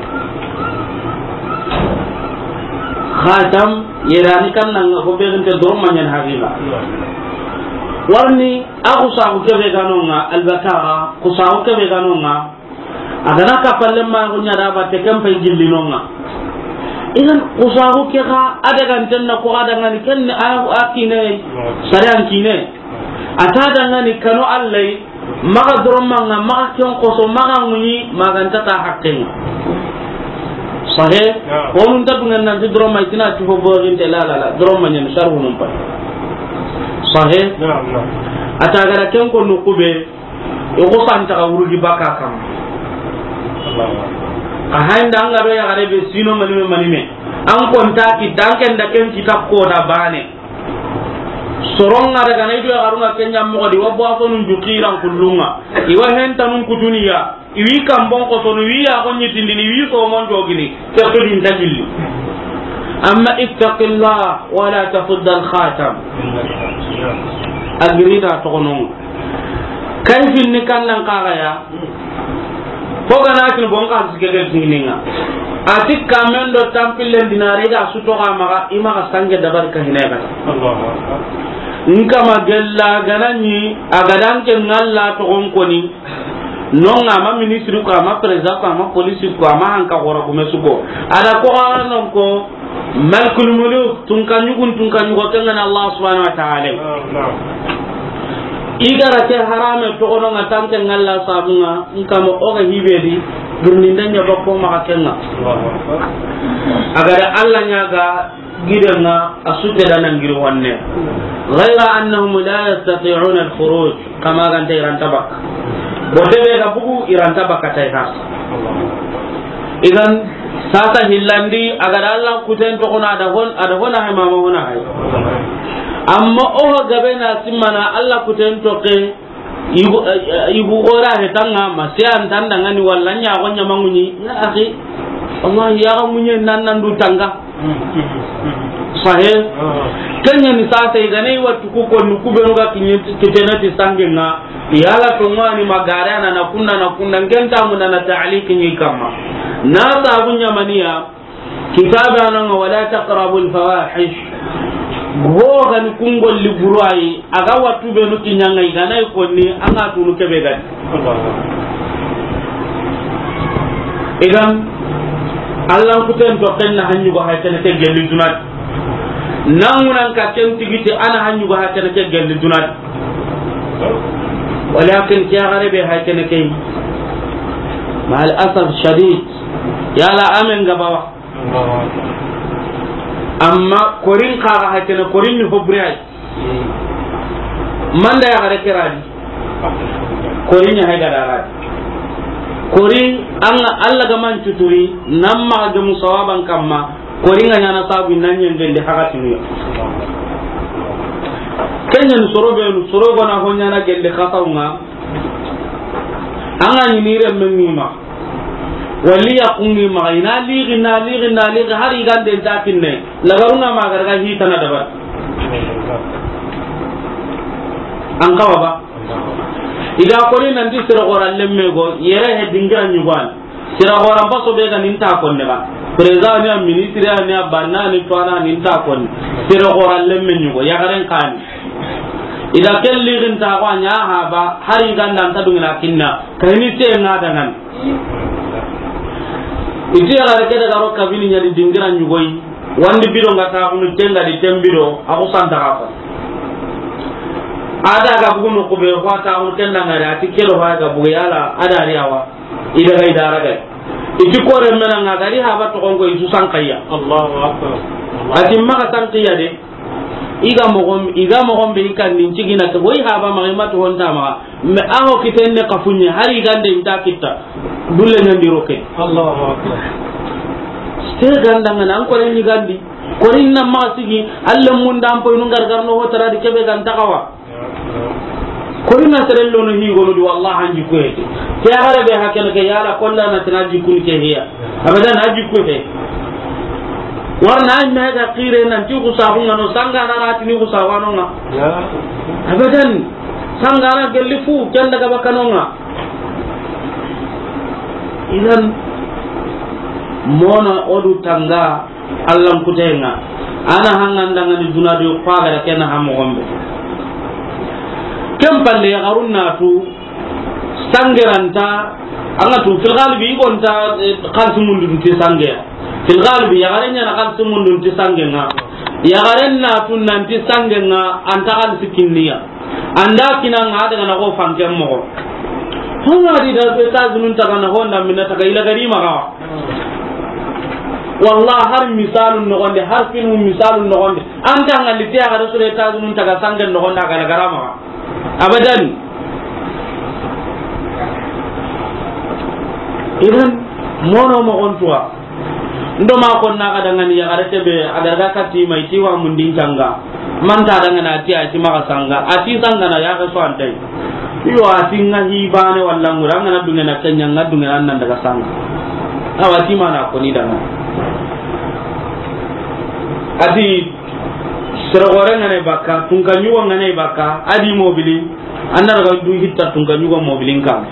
Khatam, yerani kan nanga ko be ginte doron maɲan haqiqa. Warni, a kusaxu kebe ganonga, albakara, kusaxu kebe ganonga, A gana ka palle ma ko ɲa da ba te ken pay gilli nonga. Idan kusaxu ke xa a daga nten na ko a daga ni ken a, a kine sare an kine. A ta daga ni kanu Allah, maga doron manga, maga ken koso, maga ŋuɲi, maganta ta haqqen. Sahe, ko nun ta dungan nan ti doron ma itina ti fo borin te la la la, doron ma ɲan sharhu nun pa. Sahe, a ta gara ken ko nu kube, I ko santa ka wurugi baka kam. A haynda an ga do yaxare be sino manime manime. An konta ki danken da ken kita ko da bane. Soronga daga na ido yaxarunga kenya mo di wabo afonu jukiran kullunga. Iwa henta nun kutuniya. Iwi kambon ko sonu wi ya ko nyitindini wi so mon jogini. Ke to din dagilli. Amma ittaqillah wala tafudda al-khatam. Agirida toxonon. Kay finni kannan kaxaya. Fo gana kin bon ka sike ke kininga. Ati kamen do tampillen dinare ga su toxa maxa, i maxa sange dabar ka hinay kata. Nka ma gella ganani a gadanke ngalla toxon koni. Nonga ma ministre ko, ma président ko, ma police ko, ma hanka xora gume su ko. Ada ko non ko Malikul Muluk, tunka ɲugun, tunka ɲugo, ken ga ni Allah subhanahu wa ta'ala. Naam, naam. I gara ke harame toxono nga tanke ngalla sabunga, nkama o ga hibedi, girninde ɲa bakko maxa kenga. Allahu Akbar. A ga da Allah ɲaga gidenga, a su ke da nan giri wanne. Ghayra annahum la yastati'una al-khuruj. Kama ganta i ra nta bakka. Bote be ga bugu i ra nta bakka tay ha. Idan sasa hillandi a ga da Allah kuten toxono a da hon, a da hona hay mama hona hay. Amma o ho gabe na simmana Allah kuten toxe yugo, eh, yugo ora he tanga ma se an tanda ngani walla ɲa go ɲa manguni ya akhi. Wallahi ya ga munye nan nan du tanga. Sahe. Kenya ni sasa i gane wa tuku ko nu ku be no ga kinye kitena ti sange nga. Yala to ngani magare na na kunna na kunna ngenta mun na ta'liq ni kama. Na sabu ɲamaniya kitabe ananga wala taqrabul fawahish. Go gani kungol li burai. A ga wattu be nu kiɲanga i gana i konni an ga tunu kebe gani. Idan Allah kuten to kenna hanyu go hay kene ke gelli dunat. Nangunan ka ken tigiti ana hanyu go hay kene ke gelli dunat. Walakin ke gare be hay kene ke. Ma al asaf shadid. Yala amen gabawa. Amma korin xa ga hakene, korin ni hobure ay. Manda ya gare keradi. Korin ya hay gada gadi. Korin an Allah ga man cuturi, nan ma ga musawaban kamma, korin ga ɲana sabu nan yen gende hakati ni. Kenyan soro be soro gona ho ɲana gende khasawnga. An ga ɲi ni renme ŋi ma, wali ya ku ŋi ma, i na lixi, na lixi, na lixi, hari i ga nde nta kinne, lagarun ŋa ma ga daga hitana dabari. An kawa ba? I ga koni nanti sere xora lemme go, yere he dingira ɲugani. Sere xora mbaso be ga ni nta konne ba. Président ni a, ministre ni a, banna ni, tuwana ni nta konne. Sere xora lemme ɲugo, yaxaren xa ni. I da ken lixinta xo a ɲa ha ba, hari i ga nda nta dungina kinna, kayini te ŋa dangani. I ti yaxare ke daga ro kabini ɲa di dingira ɲugoyi, wandi bido nga taxunu, tenga di ten bido, a xusanta xa fa. A da ga bugu no kube, xo a taxunu ken da ŋari, a ti kelo fa ga bugu yala, a da ri awa. I daga i dara gay. I ti kore mena nga gari haba toxon ko i su sankaya. Allahu akbar. A ti maxa sankiya de. I ga moxon, i ga moxon be i kan nin cigina ke, wo i haba maxa i ma toxon ta maxa. Mais a ho kiten ne kafunye, hari i ga nde i nta kitta. Dulle ɲandi roke. Allahu akbar. Te ganda ngana an kore ni gandi. Kore na maxa sigi, alle mun dan po i nun gargar no ho tara di kebe gan takawa. Kori na sere lono hi gonu di, wallahi an jikku hete. Ke yaxare be hakene ke yala kolla na tana jikku ni ke hiya. Abadan a jikku he. Warna ay me ga xire nan ti ku sabu ngano sanga na rati ni ku sabu ano nga. Abadan sanga na gelli fu kenda ga bakano nga. Idan mona odu tanga. Allan kutenga. Ana hangandangani duna do xo a ga da ken ha moxon be. Ken palle yaxarun na tu sangeranta, an ga tu fil galibi i gonta, eh, xalisi mundun ti sangeya. Fil galibi yaxaren ɲana xalisi mundun ti sangenga. Yaxaren na tu nanti sangenga anta xalisi kinniya. Anda kina nga daga na ko fanken moxo. Honga di da États-Unis taga na honda mina taga ila gari maga. Wallah har misalun noxonde, har filmu misalun noxonde. Anta ngalli te a ga da sore États-Unis taga sangen noxonde a ga la gara maga. Abadan. Idan mono moxon tuwa. Ndo ma kon na ga dangani yaxare ke be a ga daga katti ma i ti wa mundin kanga. Manta dangana a ti a ti maxa sanga. A ti sanga na yaxe so antai. Iyo a ti nga hi bane walla ngura nga na dungena kenya nga dungena nan daga sanga. Awa ti mana koni danga. A ti sere gore nga ne baka, tunka ɲugo nga ne baka, a di mobili. An na daga du hitta tunka ɲugo mobilin kan.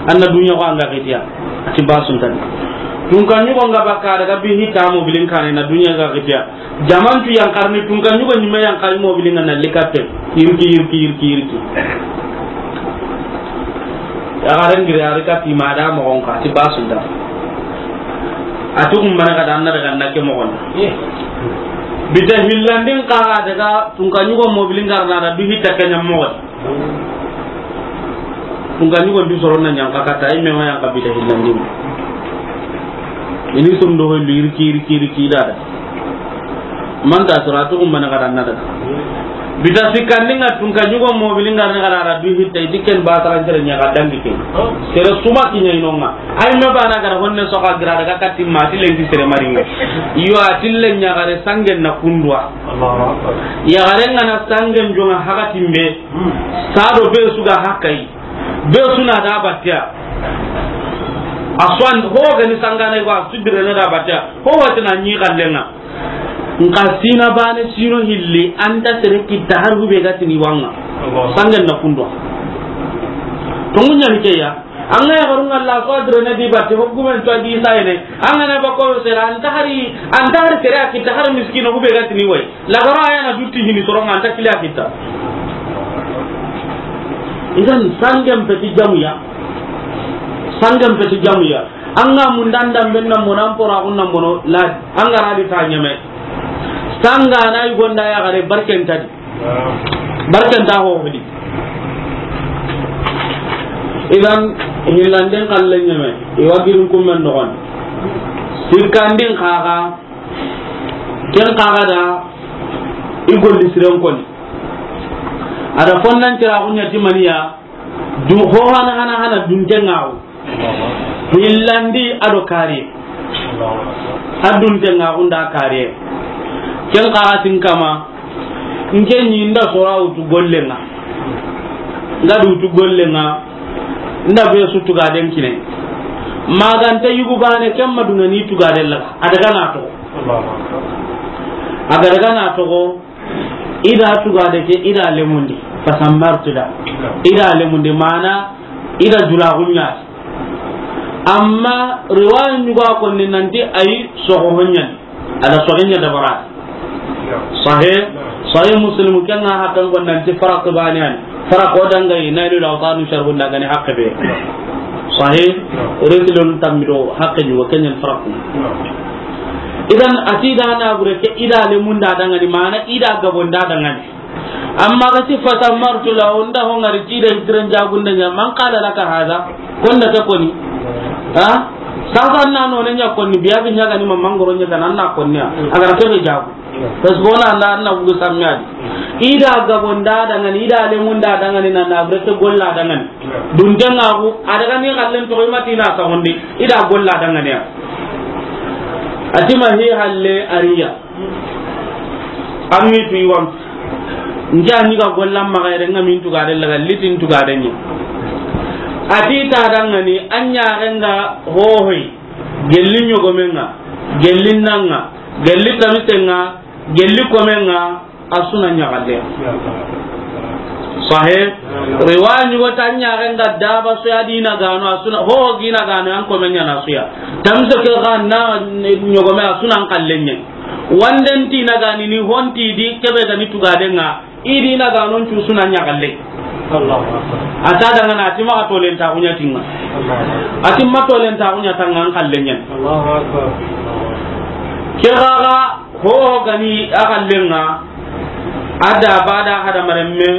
An na dunya ko an ga xitiya. A ti basun tan. Tunka ɲugo nga baka daga bi hitta mobilin kan na dunya ga xitiya. Jamantu yan karni tunka ɲugo ni me yan kari mobilin na likatte. Yirki, yirki, yirki, yirki. Yaxaren giri a ri kati ma da moxon ka ti basun tan. A ti kun bana ga da an na daga na ke moxon. Bita hillandin ka daga tunka ɲugo mobilin garna da du hitta kenya moxon. Tunka ɲugo ndi soro na ɲanka kata, i me ma ɲanka bita hillandi. Ini sum do hoy lirki, riki, riki dada. Manta sura to kum mana kada nada. Bita sikandi nga tunka ɲugo mobilin garna kada du hitta, i ti ken ba taran tere ɲa ga dangi ken. Sere suma kinya inonga. Ay me bana gara honne soka gira daga katti ma ti lenki sere maringa. Yo a ti len ɲa gare sangen na kundwa. Allahu akbar. Yaxaren nga na sangen jonga hakatimbe. Sado be su ga hakay. Be su na da batia. Aswan ho ga ni sangana ko sudire na da batia. Ho wati na ni kallenga. Nka sina bane sino hilli anta sere kitta har hube ga tini wanga. Sangen na kundwa. To munya ni ke ya. An ga yaxarun ŋa la so adre ne di batte, ho gumen to a di sayene. An ga na ba ko sere, an ta hari, an ta hari sere a kitta har miskino hube ga tini way. La gara ya na dutti hini soron ŋa an ta kili a kitta. Idan sangen peti jamuya. Sangen peti jamuya. An ga mun dan dan ben nan mono, an pora kun nan mono, la, an ga ra di ta ɲeme. Sanga na i gonda yaxare barken ta di. Barkanta ho hudi. Idan, hillanden kallen ɲeme, i wa girin kummen noxon. Sikkandin xaxa, Ken xa ga da i golli siren koni. A da fonnan cira ku ɲa ti maniya. Du ho hana hana hana dunte ŋa wo. Hillandi a do kariye. A dunte ŋa wo nda kariye. Ken xa ga tin kama. N ke ɲi n da sora wutu golle ŋa. N ga du wutu golle ŋa. N da be su tugaden kine. Maganta yugu bane ken ma dunŋa ni tugaden laga. A daga na toxo. A ga daga na toxo. I da tugade ke, i da lemundi. Fasammartu da. I da lemundi mana, i da dulaxu ɲa ti. Amma riwaya ɲugo a konni nanti ayi soxo ho ɲani. A da soxo ɲa dabara. Sahih, Sahih Muslim ken ŋa haqqen ko nanti faraq bani yani. Faraq o dangayi, Nailul Awtar sharhun da ga ni haqqe be. Sahih, risilun tammido haqqe ɲugo ken ɲa ni faraq. Idan a ti da na bure ke i da lemunda dangani, mana i da gabonda dangani. Amma ga ti fasammartu la, o nda ho ŋari ti da i tiren jagunda ɲa, man qala laka hadha, ko nda ke koni. Ha? Sasa na no ne ɲa koni, biya bi ɲa ga ni ma mangoro ɲa ga na na koni ya. A ga ra ke be jagu. Parce que o na nda na bugu sammi a di. I da gabonda dangani, i da lemunda dangani, na na bure ke golla dangani. Dunte ŋa ku, a daga ni xallen toxo i ma ti na saxundi, i da golla dangani ya. A ti ma hi halle ariya. An mi tu i wan. N ja ni ga golla ma ga yere ŋa min tugade laga litin tugade ɲa. A ti ta dangani, an ɲa ga nga hohoy. Gelli ɲogomen ŋa, gelli nan ŋa, gelli tamisen ŋa, gelli komen ŋa, a su na ɲaxalle. Sahih. Riwaya ɲugo ta ɲaxen ga daba su ya dina gano, a su na ho gina gano an komen ɲa na su ya. Tamso ke ga na ɲogome a su na an kallen ɲa. Wanden ti na gani ni honti di kebe ga ni tugaden ŋa, i dina ganon cu su na ɲaxalle. Allahu Akbar. A ta dangana a ti ma tolen ta ku ɲa ti ŋa. Allahu Akbar. A ti ma tolen ta ku ɲa ta ŋa an kallen ɲa. Allahu Akbar. Ke ga ga Ho gani a xallen ŋa, a da bada hadamarenme,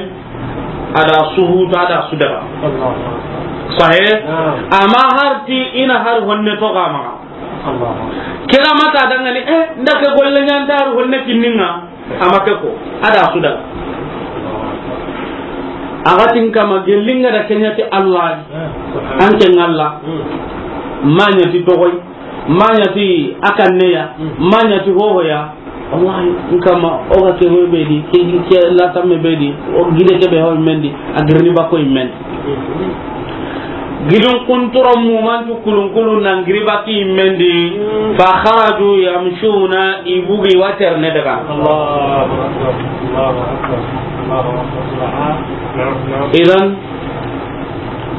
a da suhutu, a da sudaga. Sahe? Amma har ti i na har honne to ga maxa. Ke ga mata dangani, eh, nda ke golle ɲa nta har honne kinni ŋa, amma ke ko, a da sudaga. A ga tin kama gelli ŋa da ke ɲa ti Allah, an ke ŋa Allah, ma ɲa ti toxoy. Ma ɲa ti a kanne ya, ma ɲa ti hoho ya. Wallahi, n kama, o ga ke hoy be di, ke, ke la tamme be di, o gide ke be hoy men di, a girini ba koy men di. Gidun kuntoro mu man tu kulun kulun nan giri ba ki men di. Fa kharaju yamshuna, i bugi water ne daga. Allahu Akbar, Allahu Akbar, Allahu Akbar. Idan,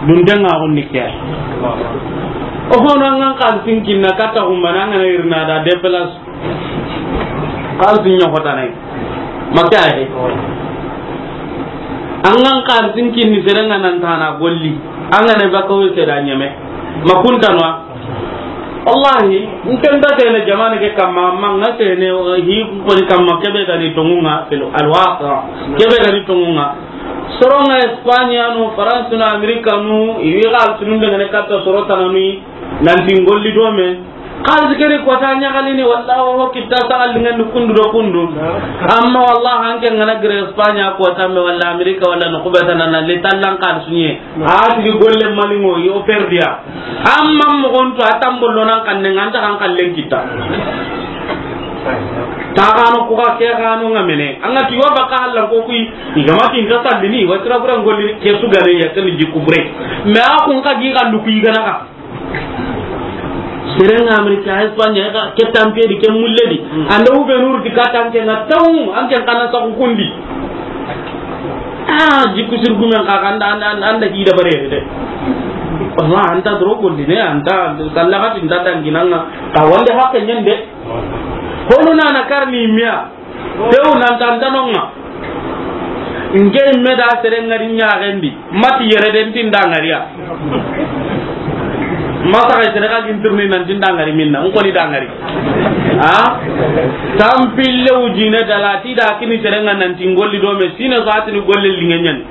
dunte ŋa xo ni ke. O hono an ga xalisin kinni katta xumana, an ga na irina da déplace. Xalisin ɲa xotana yi. Ma ke ayi. An ga xalisin kinni sere ŋa nan tana golli. An ga na baka wo sere ɲeme. Ma kuntanwa. Wallahi, n ke nta sene jamane ke kamma, amma n ga sene, hi ko ni kamma, ke be ga ni tonŋu ŋa, fil, al waqa, ke be ga ni tonŋu ŋa. Soro ŋa Espagne no, France no, America no, i wi xalisinun be ga ne katta soro tana ni, nan ti n golli do me. Xalisi ke ri kota ɲaxalini, walla o kitta saxalli ŋa ni kundu do kundu. Amma wallahi, an ke n ga na giri Espagne kota me, walla America, walla no kubeta na, na le tallan xalisu ɲe. A tigi golle mani ŋo yo perdia. Amma moxon to a tambollo nan xanne ŋa, an ta xan xallen kitta. Ta xano ku xa ke xano ŋa mene. An ga ti wa baka Allah ko kuyi, i ga ma ti n ta sallini, wa tira bura ngolli ke su gare ya tan jikku bure. Mais a kun ka gi xallu kuyi gana ka. Sere ŋa America, Espagne, ka ke tampe di, ke mulle di. Anda wu be nuru di ka tanke na taw, an ke kana sa ku kundi. Ah, jikku sir gumen ka, anda, anda, anda, anda hida bare de. Wallahi, an ta doro golli ne, an ta sallagati, n ta danginanga. Ka wande hakke ɲande. Hono na na karni miya. Tew nan ta, an ta nonga. N ke me da sere ŋari ɲaxen di. Mati yere den ti n da ŋari ya. Masa ga sere ga gin turni nan ti n da ŋari minna. N ko ni da ŋari. Ha? Tampille wujine dala ti da kini sere ŋa nan ti n golli do me, sine sa ti ni golle liŋe ɲani.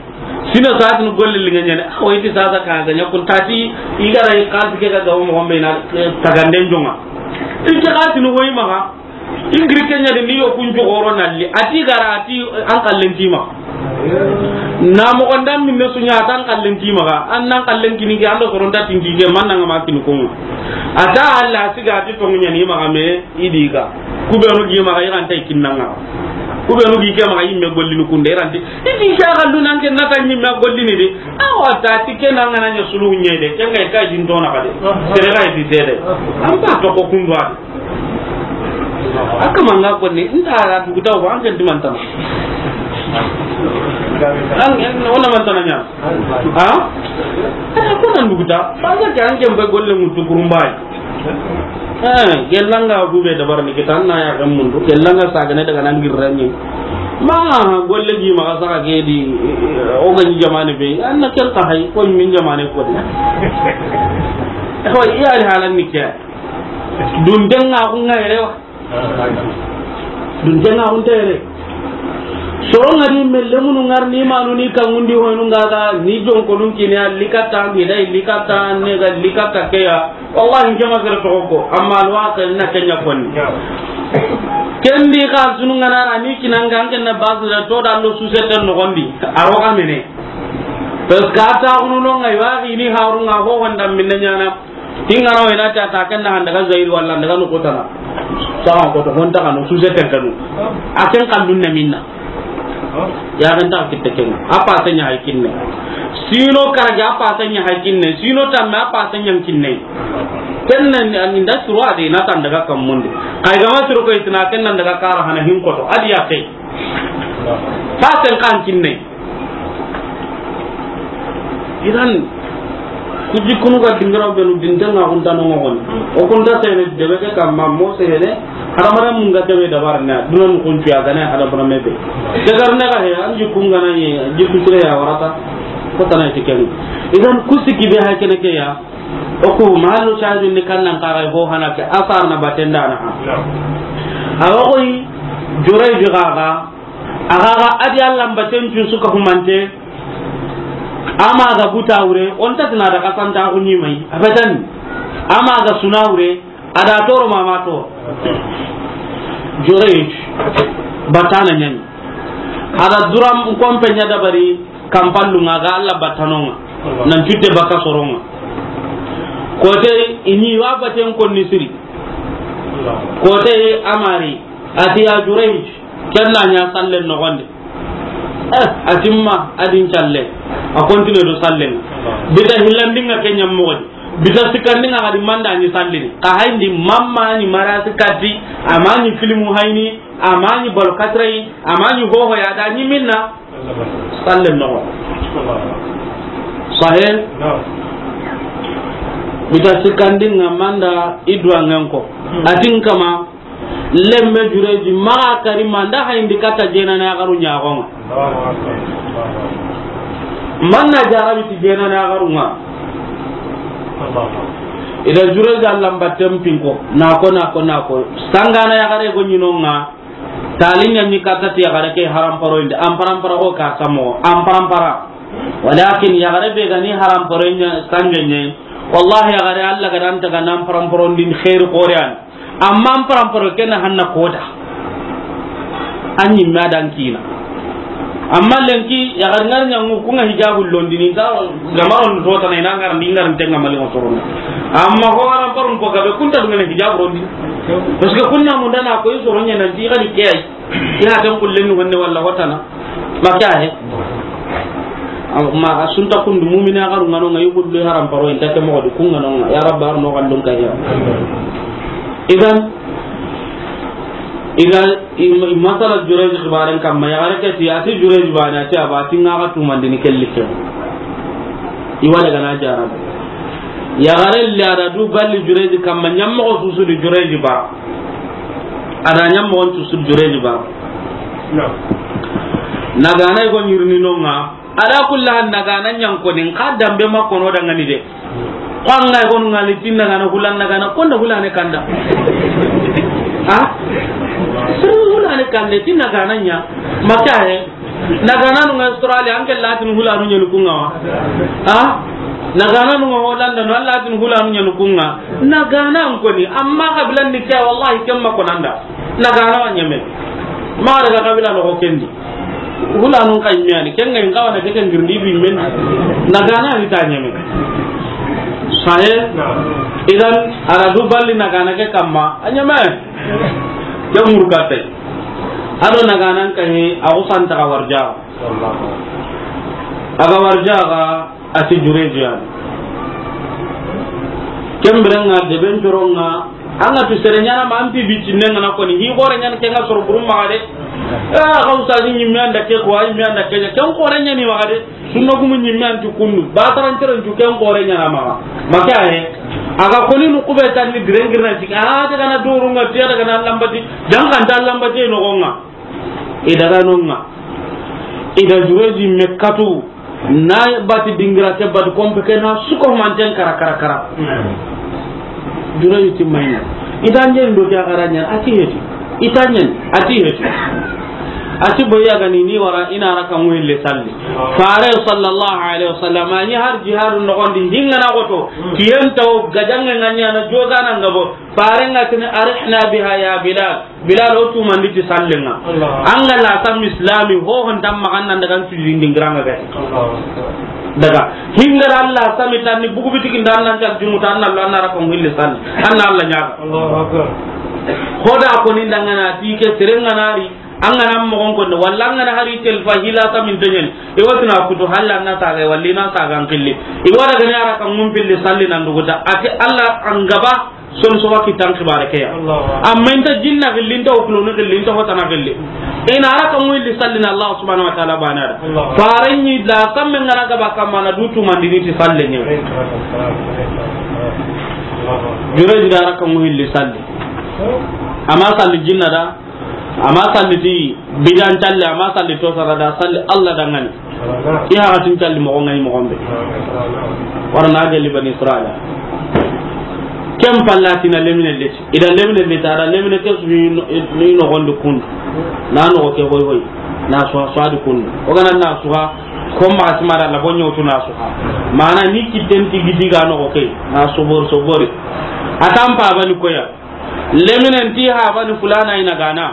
Sine sa ti ni golle liŋe ɲani. A wo i ti sasa ka ga ɲa kun tati i ga ra i xalisi ke ga gawo moxo be na, eh, taganden joŋa. I ke xalisi ni wo i maxa. Ingiri kenya de ni yo kun jogoro nalli. A ti gara a ti an kallen ti maxa. Na moxo nda minne su ɲa a ti an kallen ti maxa. An nan kallen kini ke an do soron ta tinki ke man nan ma kini kunŋa. A ta Allah siga a ti tonŋu ɲa ni maxa me i di ga. Ku be no gi maxa i ran ta i kinna ŋa. Ku be no gi ke maxa i me gollini kunde i ran ti. I di ke ga lu nan ke na ta ɲi me gollini de. Awa ta ti ke nan ŋa na ɲa sulu ɲe de. Ke ŋa i ka jin to na ka de. Sere ga i di de. An ba to ko kundu a de. A kama nga konni, nta a duguta wa, an ken di mantana. An, an, wala mantana ɲa. Ha? Ko nan duguta, ba ga ke an ken be golle mutu kurumbay. Eh, gellanga bu be dabar ni kitan na ya kan mundu, gellanga sagane daga nan girrani. Ma golle gi ma saka ke di, o ga ni jamane be, an na ken ka hay, ko min jamane ko di. Ko iya halan ni ke. Dundenga ku nga yere wa. Dundenga ku nta yere. Soro nga di me lemunu ngar ni manu ni kangundi hoynu nga ga ni jonkonun kine a likata, ni dai likata, ne ga likata ke ya. Wallahi, nke ma sere toxo ko, amma alwaqi na kenya konni. Kendi ka sunu nga na ra ni kinanga an ken na bazu da to da lo susete no gondi. A ro ga mene. Parce que a ta kunu no nga wa ni harun nga ho honda minna ɲana. Tingana wena ta ta ken na handa ga zairi walla daga no kotana. Sawa ko to honta kanu suse ten kanu. A ken kallun na minna. Ya kan ta kitte ken. A pa sanya hay kinne. Sino karaja a pa sanya hay kinne. Sino tamme a pa sanya kinne. Ken nan an inda suru a de na tan daga kan munde. Kay ga ma suru ko itina ken nan daga kara hana hin ko to. Adi ya kai. Pa sen kan kinne. Idan, ku jikkunu ga dingiraw benu dintenga kuntano ŋogoni. O kunta sene debe ke kamma mo sene, hadamaren mun ga debe dabar na, duna nu kuncu ya gane hadamaren me be. Dagar na ga he, an jikkun gana ye, jikku sire ya warata, ko tana ti ken. Idan, ku sikki be hay kene ke ya, o ku mahallu shahidin ni kannan kaga ho hana ke, asar na batenda na ha. Awa koy, Juray bi gaga, Axa ga adi Alla mbaten cu suka humante, ama ga buta wure, on ta tina da kasanta ku ni mai, abadan. Ama ga suna wure, ada toro mama to. Jurej, batana ɲani. Ada duram kompe ɲa dabari, kampallu nga ga Alla batanonga, nan cutte baka soronga. Kote ini wa baten konni siri. Kote amari, ati ya Jurej, Ken na ɲa sallen noxondi. Eh, a timma, a din calle. A continue do sallen. Bita hillandinga ke ɲammoxodi. Bita sikkandinga xadi manda ni sallini. Xa hayndi mamma ni marasi katti, ama ni filmu hayni, ama ni bal katray, ama ni hoho ya da ni minna. Sallen noxo. Sahe? Bita sikkandinga manda idwa ngenko. Atin kama Lemme Jureji maxa kari ma nda hayindi katta jenana yaxaru ɲaxonga. Manna jarabi ti jenana yaxarunga. Ida Jureji Alla mbatten pinko, nako, nako, nako. Sangana yaxare go ɲinonga. Talinya ni katta ti yaxare ke haramparo indi. Amparampara ko ka samo. Amparampara. Walakin yaxare be gani haramparo nya sangenye. Wallahi yaxare Alla ga dan taga nan paramparo ndin khair qorian. Amma an paramparo kena hanna koda. An ɲimme a dan kina. Amma lenki, yaxar ngar ɲangu, kunga hijabu londini, ta, gamaron to tana ina ngar, ni ngar tenga mali sorono. Amma ho paramparo ko gabe kunta dungene hijabu rondi. Parce que kunna mundana ko i soro ɲana di gadi kay. Ina tan kullen ni wonne walla hotana. Maka he. Amma a sunta kundu mumina garu ngano ngayi kullu haramparo inta ke mo di kunga no nga. Ya Rabbi, arno gandun ka ya. Idan, idan, i, i masala Jureji xibaren kamma, yaxare ke ti, ati Jureji bane, ati aba, ati nga ga tumandini kelli ke. I wa daga na jara. Yaxare le ada du balli Jureji kamma, ɲammoxo susu di Jureji ba. Ada ɲammoxon susu Jureji ba. Nagana i go ɲirini nonga. Ala kulli hal, nagana ɲankoni, nka dambe ma kono dangani de. Ko anga i gonu ngali tin nagana hulan nagana, konda hulane kanda. Ha? Sirri hulane kande, tin nagana ɲa. Maka he. Nagana nunga Australia, anke latin hulanu ɲanu kunga wa. Ha? Nagana nunga Holanda, no latin hulanu ɲanu kunga. Nagana ankoni, amma kabilan ni kya, wallahi, kemma konanda. Na gana wa ɲeme. Ma daga kabila noxo kendi. Hulanun ka ɲeme yani. Ken ga in kawana ke ken girndi bi men. Na gana ni ta ɲeme. Sahe. Idan, a ra du balli na gana ke kamma. A ɲeme. Ke murkate. A do na gana n ka he, a xusan ta ga warja. A ga warja ga. A ti Jureju yani. Ken biren ŋa deben coron ŋa, an ga tu sere ɲana ma, an pi bicinne ŋa na koni, hi xore ɲani ken ŋa soro burum maxa de. A, xa ustazi ɲimme an da ke ko, a ɲimme an da ke, ken xore ɲani maxa de. Sunna gumu ɲimme an ti kundu, ba taran cere n tu ken xore ɲana maxa. Ma ke a he, a ga koni nu kube tan ni diren girna ciki, a daga na doru ŋa, tiya daga na lambati, jan kan ta lambati no ŋa. I daga no ŋa. I da Jureji me katu, na bati dingira ke bati kompe ke na suko manten kara, kara, kara. Jureji ti mayna. I da njen do ke a xara ɲa, a ti heti. I ta ɲen, a ti heti. A ti boya gani ni wara ina raka ŋuille salli. Fare sallallahu alaihi wasallam, a ni har jihadu noxondi, hingana goto, tiyen taw, gajange ŋa ɲana, jogana ngabo, Fare ŋa tini, "Arihna biha ya Bilal." Bilal, o tumandi ti sallen ŋa. Allah. An ga la sam islami, ho hon tam magan nan daga sujudi dingira ŋa ga. Allah. Daga. Hingara Allah sami tan ni bugu bitiki ndan nan ka jumu tan Allah na raka ŋuille salli. An na Allah ɲaga. Allahu akbar. Hoda ko ni ndangana ti ke sere ŋa na ri. An ga na mogon konde, walla an ga na hari telfa hila samin teɲen. I wati na kutu halla na saga, walla na saga an kille. I wara gani a raka ŋun pilli salli nan duguta. A ti Allah an gaba, son so wa kitan xibare ke ya. Allahu akbar. Amma inta jinna gilli, inta okuloni gilli, inta hotana gilli. Ina a raka ŋun pilli salli na Allah subhanahu wa ta'ala bana da. Allahu akbar. Fare ɲi la samme ŋa na gaba kamma na du tumandini ti salli ɲi. Alayhi salatu wassalam. Alayhi salatu wassalam. Allahu akbar. Jureji da a raka ŋun pilli salli. Amma salli jinna da. Amma salli ti bidan talle, amma salli to sara da salli Allah dangani. I haxatin calli moxo ŋa yi moxon be. Wara na gelli Bani Israila. Ken palla ti na lemine leti. I da lemine leti, a da lemine ke su ni no-, ni noxondi kundu. Na noxo ke hoy hoy. Na suha suha di kundu. O ga na na suha. Ko ma sima da la bonyo tu na suha. Mana ni kitten ti gidi ga noxo ke. Na sobor sobori. A tampa bani koya. Leminen ti habani fulana ina gana.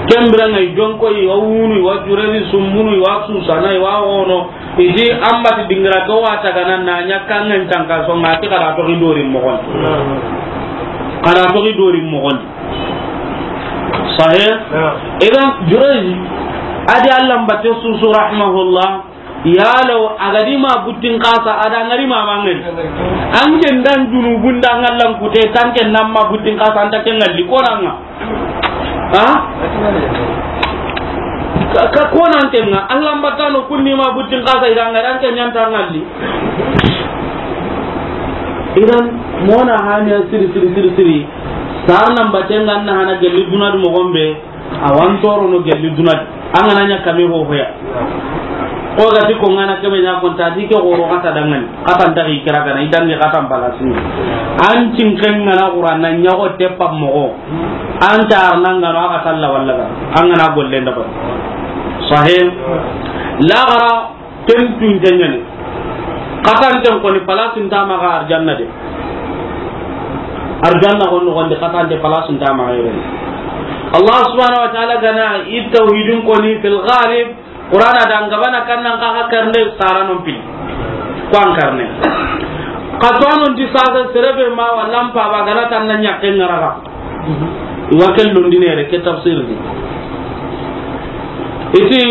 Ken biranŋa i jonko i wa wunu, i wa jureri sumbunu, i wa susana, i wa wono. I ti an bati dingira ke wa tagana na ɲa kanŋen tanka songa ti xara toxi dori moxon. Xara toxi dori moxon. Sahe? Idan Jureji, a di Allah mbatte susu rahimahullah. Yalo, a ga di ma buttin xasa, a da ŋari ma mangani. An ken dan junubun da ŋallan kute, tan ken nan ma buttin xasa, an ta ken ŋalli, ko nan ŋa. Ha? Ka, ka ko nan ken ŋa, Allah mbatano kunni ma buttin xasa, i da ŋari, an ken ɲanta ŋalli. Idan, mona haniya siri, siri, siri, siri. Sar nan baten nan na hana gelli duna du moxon be. A wa n torono gelli duna di. An ga na ɲa kame ho hoya. Ko ga ti ko ŋa na kame ɲa ko n ta di ke xoro xata dangani. Xata n ta xi kira gana, i dangi xata n balasini. An cinken ŋa na Qur'an na ɲa ko teppa moxo. An ta arna ŋa no a ga talla walla ga. An ga na golle nda ba. Sahih. La gara Ken tunte ɲani. Xatanten koni palasin ta maxa arjanna de. Arjanna xon noxondi xatante palasin ta maxa yere. Allah subhanahu wa ta'ala gana i tawhidin koni fil ghalib. Qur'ana da ngabana kannan xa xa karne saranon pil. Ko an karne. Xa to anon di sasa serebe ma wallan pa ba gana tan na ɲakke ŋaraxa. I wa ken londinere ke tafsir di. I ti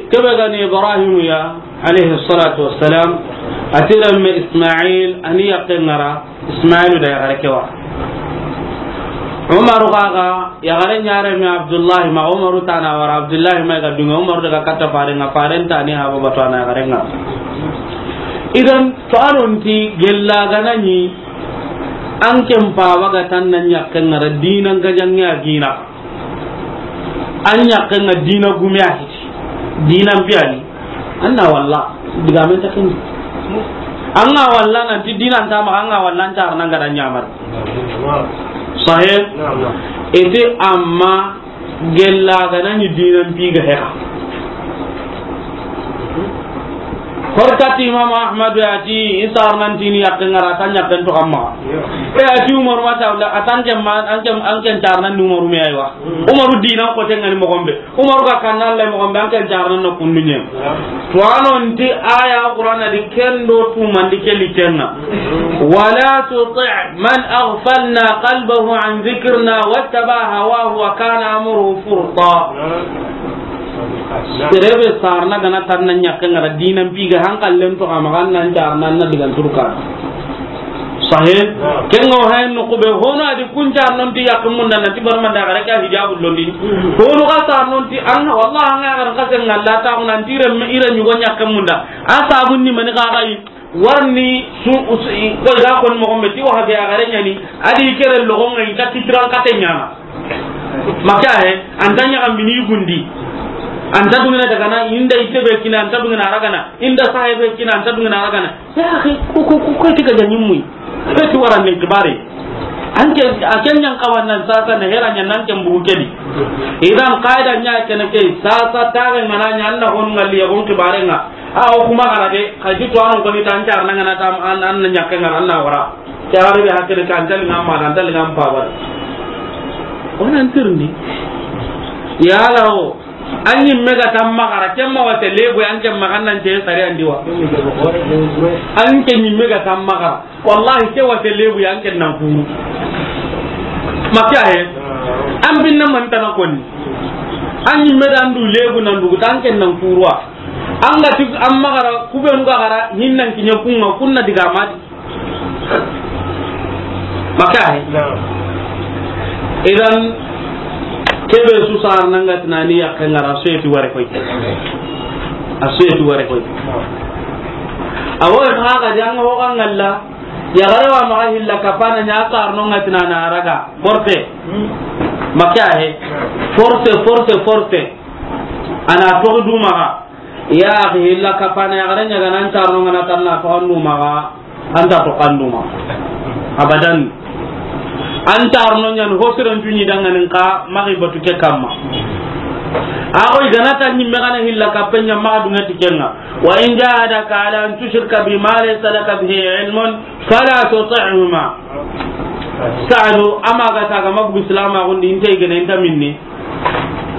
kebe gani Ibrahim ya, alayhi salatu wassalam, a ti remme Ismail, a ni yakke ŋara, Ismailu da yaxare ke wa. Umaru xa ga, yaxare ɲare me Abdullahi ma, Umaru tana wara, Abdullahi ma ga dunga, Umaru daga katta faren ŋa, faren tani haba batu ana yaxare ŋa. Idan, to anon ti gella gana ni, An ken paba ga tan na ɲakke ŋara dinan gajaŋe a gina. An ɲakke ŋa dina gume a hiti. Dinan biyani. An na walla. Diga men ta ken. An ga walla nan ti dinan ta ma, an ga walla an ta nan ga da ɲamar. Sahih? Ete amma gella ga nan ni dinan bi ga heka. Horkati Imam Ahmadu ya ti, i saarnan ti ni yaqqen ŋa ra, a ta yaqqen toxo an maxa. E, a ti Umaru ma ta, wala a ta an ke ma, an ke, an ke saarnan ni Umaru me, aywa. Umaru diina ko te ŋa ni moxo be. Umaru ga kanna Alla moxo be, an ke saarnan na kundu ɲa. To a no nti aya Qur'ana di ken do tumandi ke li ken ŋa. Wala tuti' man aghfalna qalbahu an dhikrina wattaba'a hawahu wa kana amruhu furta. Sere be saarna ga na tanna yaqqen ŋa ra, diinan pi ga hankallen toxo a maxa, an na saarna, an na digan turka. Sahe. Ken ŋa o hayen no kube hono a di kun saarnon ti yaqqen munda na ti barmanda ga ra ka hijabu londi. Hono ga saarnon ti an, wallahi an ga ga ra ka sen ŋa la ta ko nan ti remme ira ɲugo yaqqen munda. A sabun ni mani ga ga yi. Warni su, su, i, ko i ga ko ni moxo be ti Wahabi ya ga re ɲa ni, a di kere loxo ŋa i ta kitiran kate ɲaana. Maka he, an ta ɲaxa mini gundi. An ta dungina daga na, inda ite be kina, an ta dungina ragana, inda sahe be kina, an ta dungina ragana. Ya akhi, ko, ko, ko, ko ti ga ɲa ɲi muyi. Ko ti wara ni kibare. An ke, a ken ɲa n kawa nan sasa na hera ɲa nan ke bugu ke di. Idan qaida ɲa ke na ke sasa ta ga ŋa na ɲa an na hon ŋalli ya hon kibare ŋa. A o kuma gara de, ka ji to an ko ni tan car na ŋa na tam an, an na ɲakke ŋa na wara. Ke a wari be hakke de kan tal ŋa ma, kan tal ŋa ma pa ba. O nan tirni. Ya la o, an ɲi me ga tam magara, ken ma wate lebu an ken magan nan je sari an di wa. An ken ɲi me ga tam magara. Wallahi, ke wate lebu ya an ken nan kuru. Maka he, an binna man tana koni. An ɲi me dan du lebu nan du tan ken nan kuruwa. An ga ti an magara, ku be nu ga gara, nin nan kiɲe kun ŋa, kun na diga mati. Maka he. Idan, ke be su saarna ŋa ti na ni yaqqen ŋa ra, a su yi ti ware koy. A su yi ti ware koy. A wo xa ga jang ho ga ŋalla. Ya ga ra wa maxa hilla kapana ɲa saarno ŋa ti na na raga. Forte. Maka he. Forte, forte, forte. A na toxo du maxa. Ya axi, hilla kapana ya ga ra ɲa ga na an saarno ŋa na tanna toxo an du maxa. An ta toxo an du maxa. Abadan. An saarno ɲa ni ho siren tu ɲi dangani ka maxi batu ke kamma. A ko i ga na ta ɲi me ga na hilla kapen ɲa maxa dunga ti ken ŋa. Wa in jahadaka ala an tushrika bi ma laysa laka bihi ilmun fala tuti'huma. Saadu, a ma ga ta ga ma bugu silaamaxun di, inte i gene, inte minni.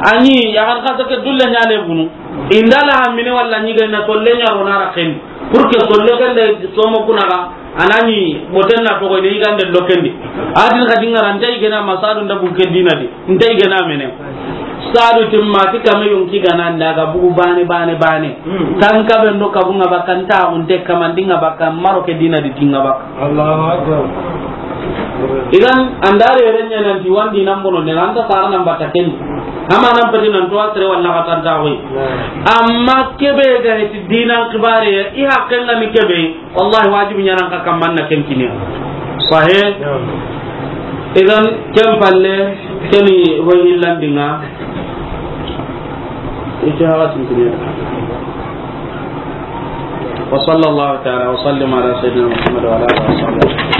A ɲi, ya ga xa sa ke dulle ɲa le bunu. Inda la hamine walla ɲi ga na solle ɲa ro na ra ken. Pour que solle ken da somo kuna ga, a na ɲi boten na toxo ne i ga nde lo ken di. A din xa dinga ra, inte i gene ma Saadu nda bugu ke diina di. Inte i gene mene. Saadu timma ti kame yonki ga na nda ga bugu bane, bane, bane. Tan kabe ndo kabu ŋa baka, nta unte kamandi ŋa baka, maro ke diina di ti ŋa baka. Allahu Akbar. Idan, an da re ren ɲa nan ti wandi nan bono ne, an ta sara nan bata ken. Ama nan pati nan to asre walla ka tan ta wi. Amma ke be ga ti diinan kibare, i haqqen ŋa ni ke be. Wallahi, wajibi ɲa na an ka kamma na ken kini. Sahe. Idan, ken palle, ken ni wa hillandin ŋa. Ita hawa tin kini. وصلى الله تعالى وسلم على سيدنا محمد وعلى آله وصحبه.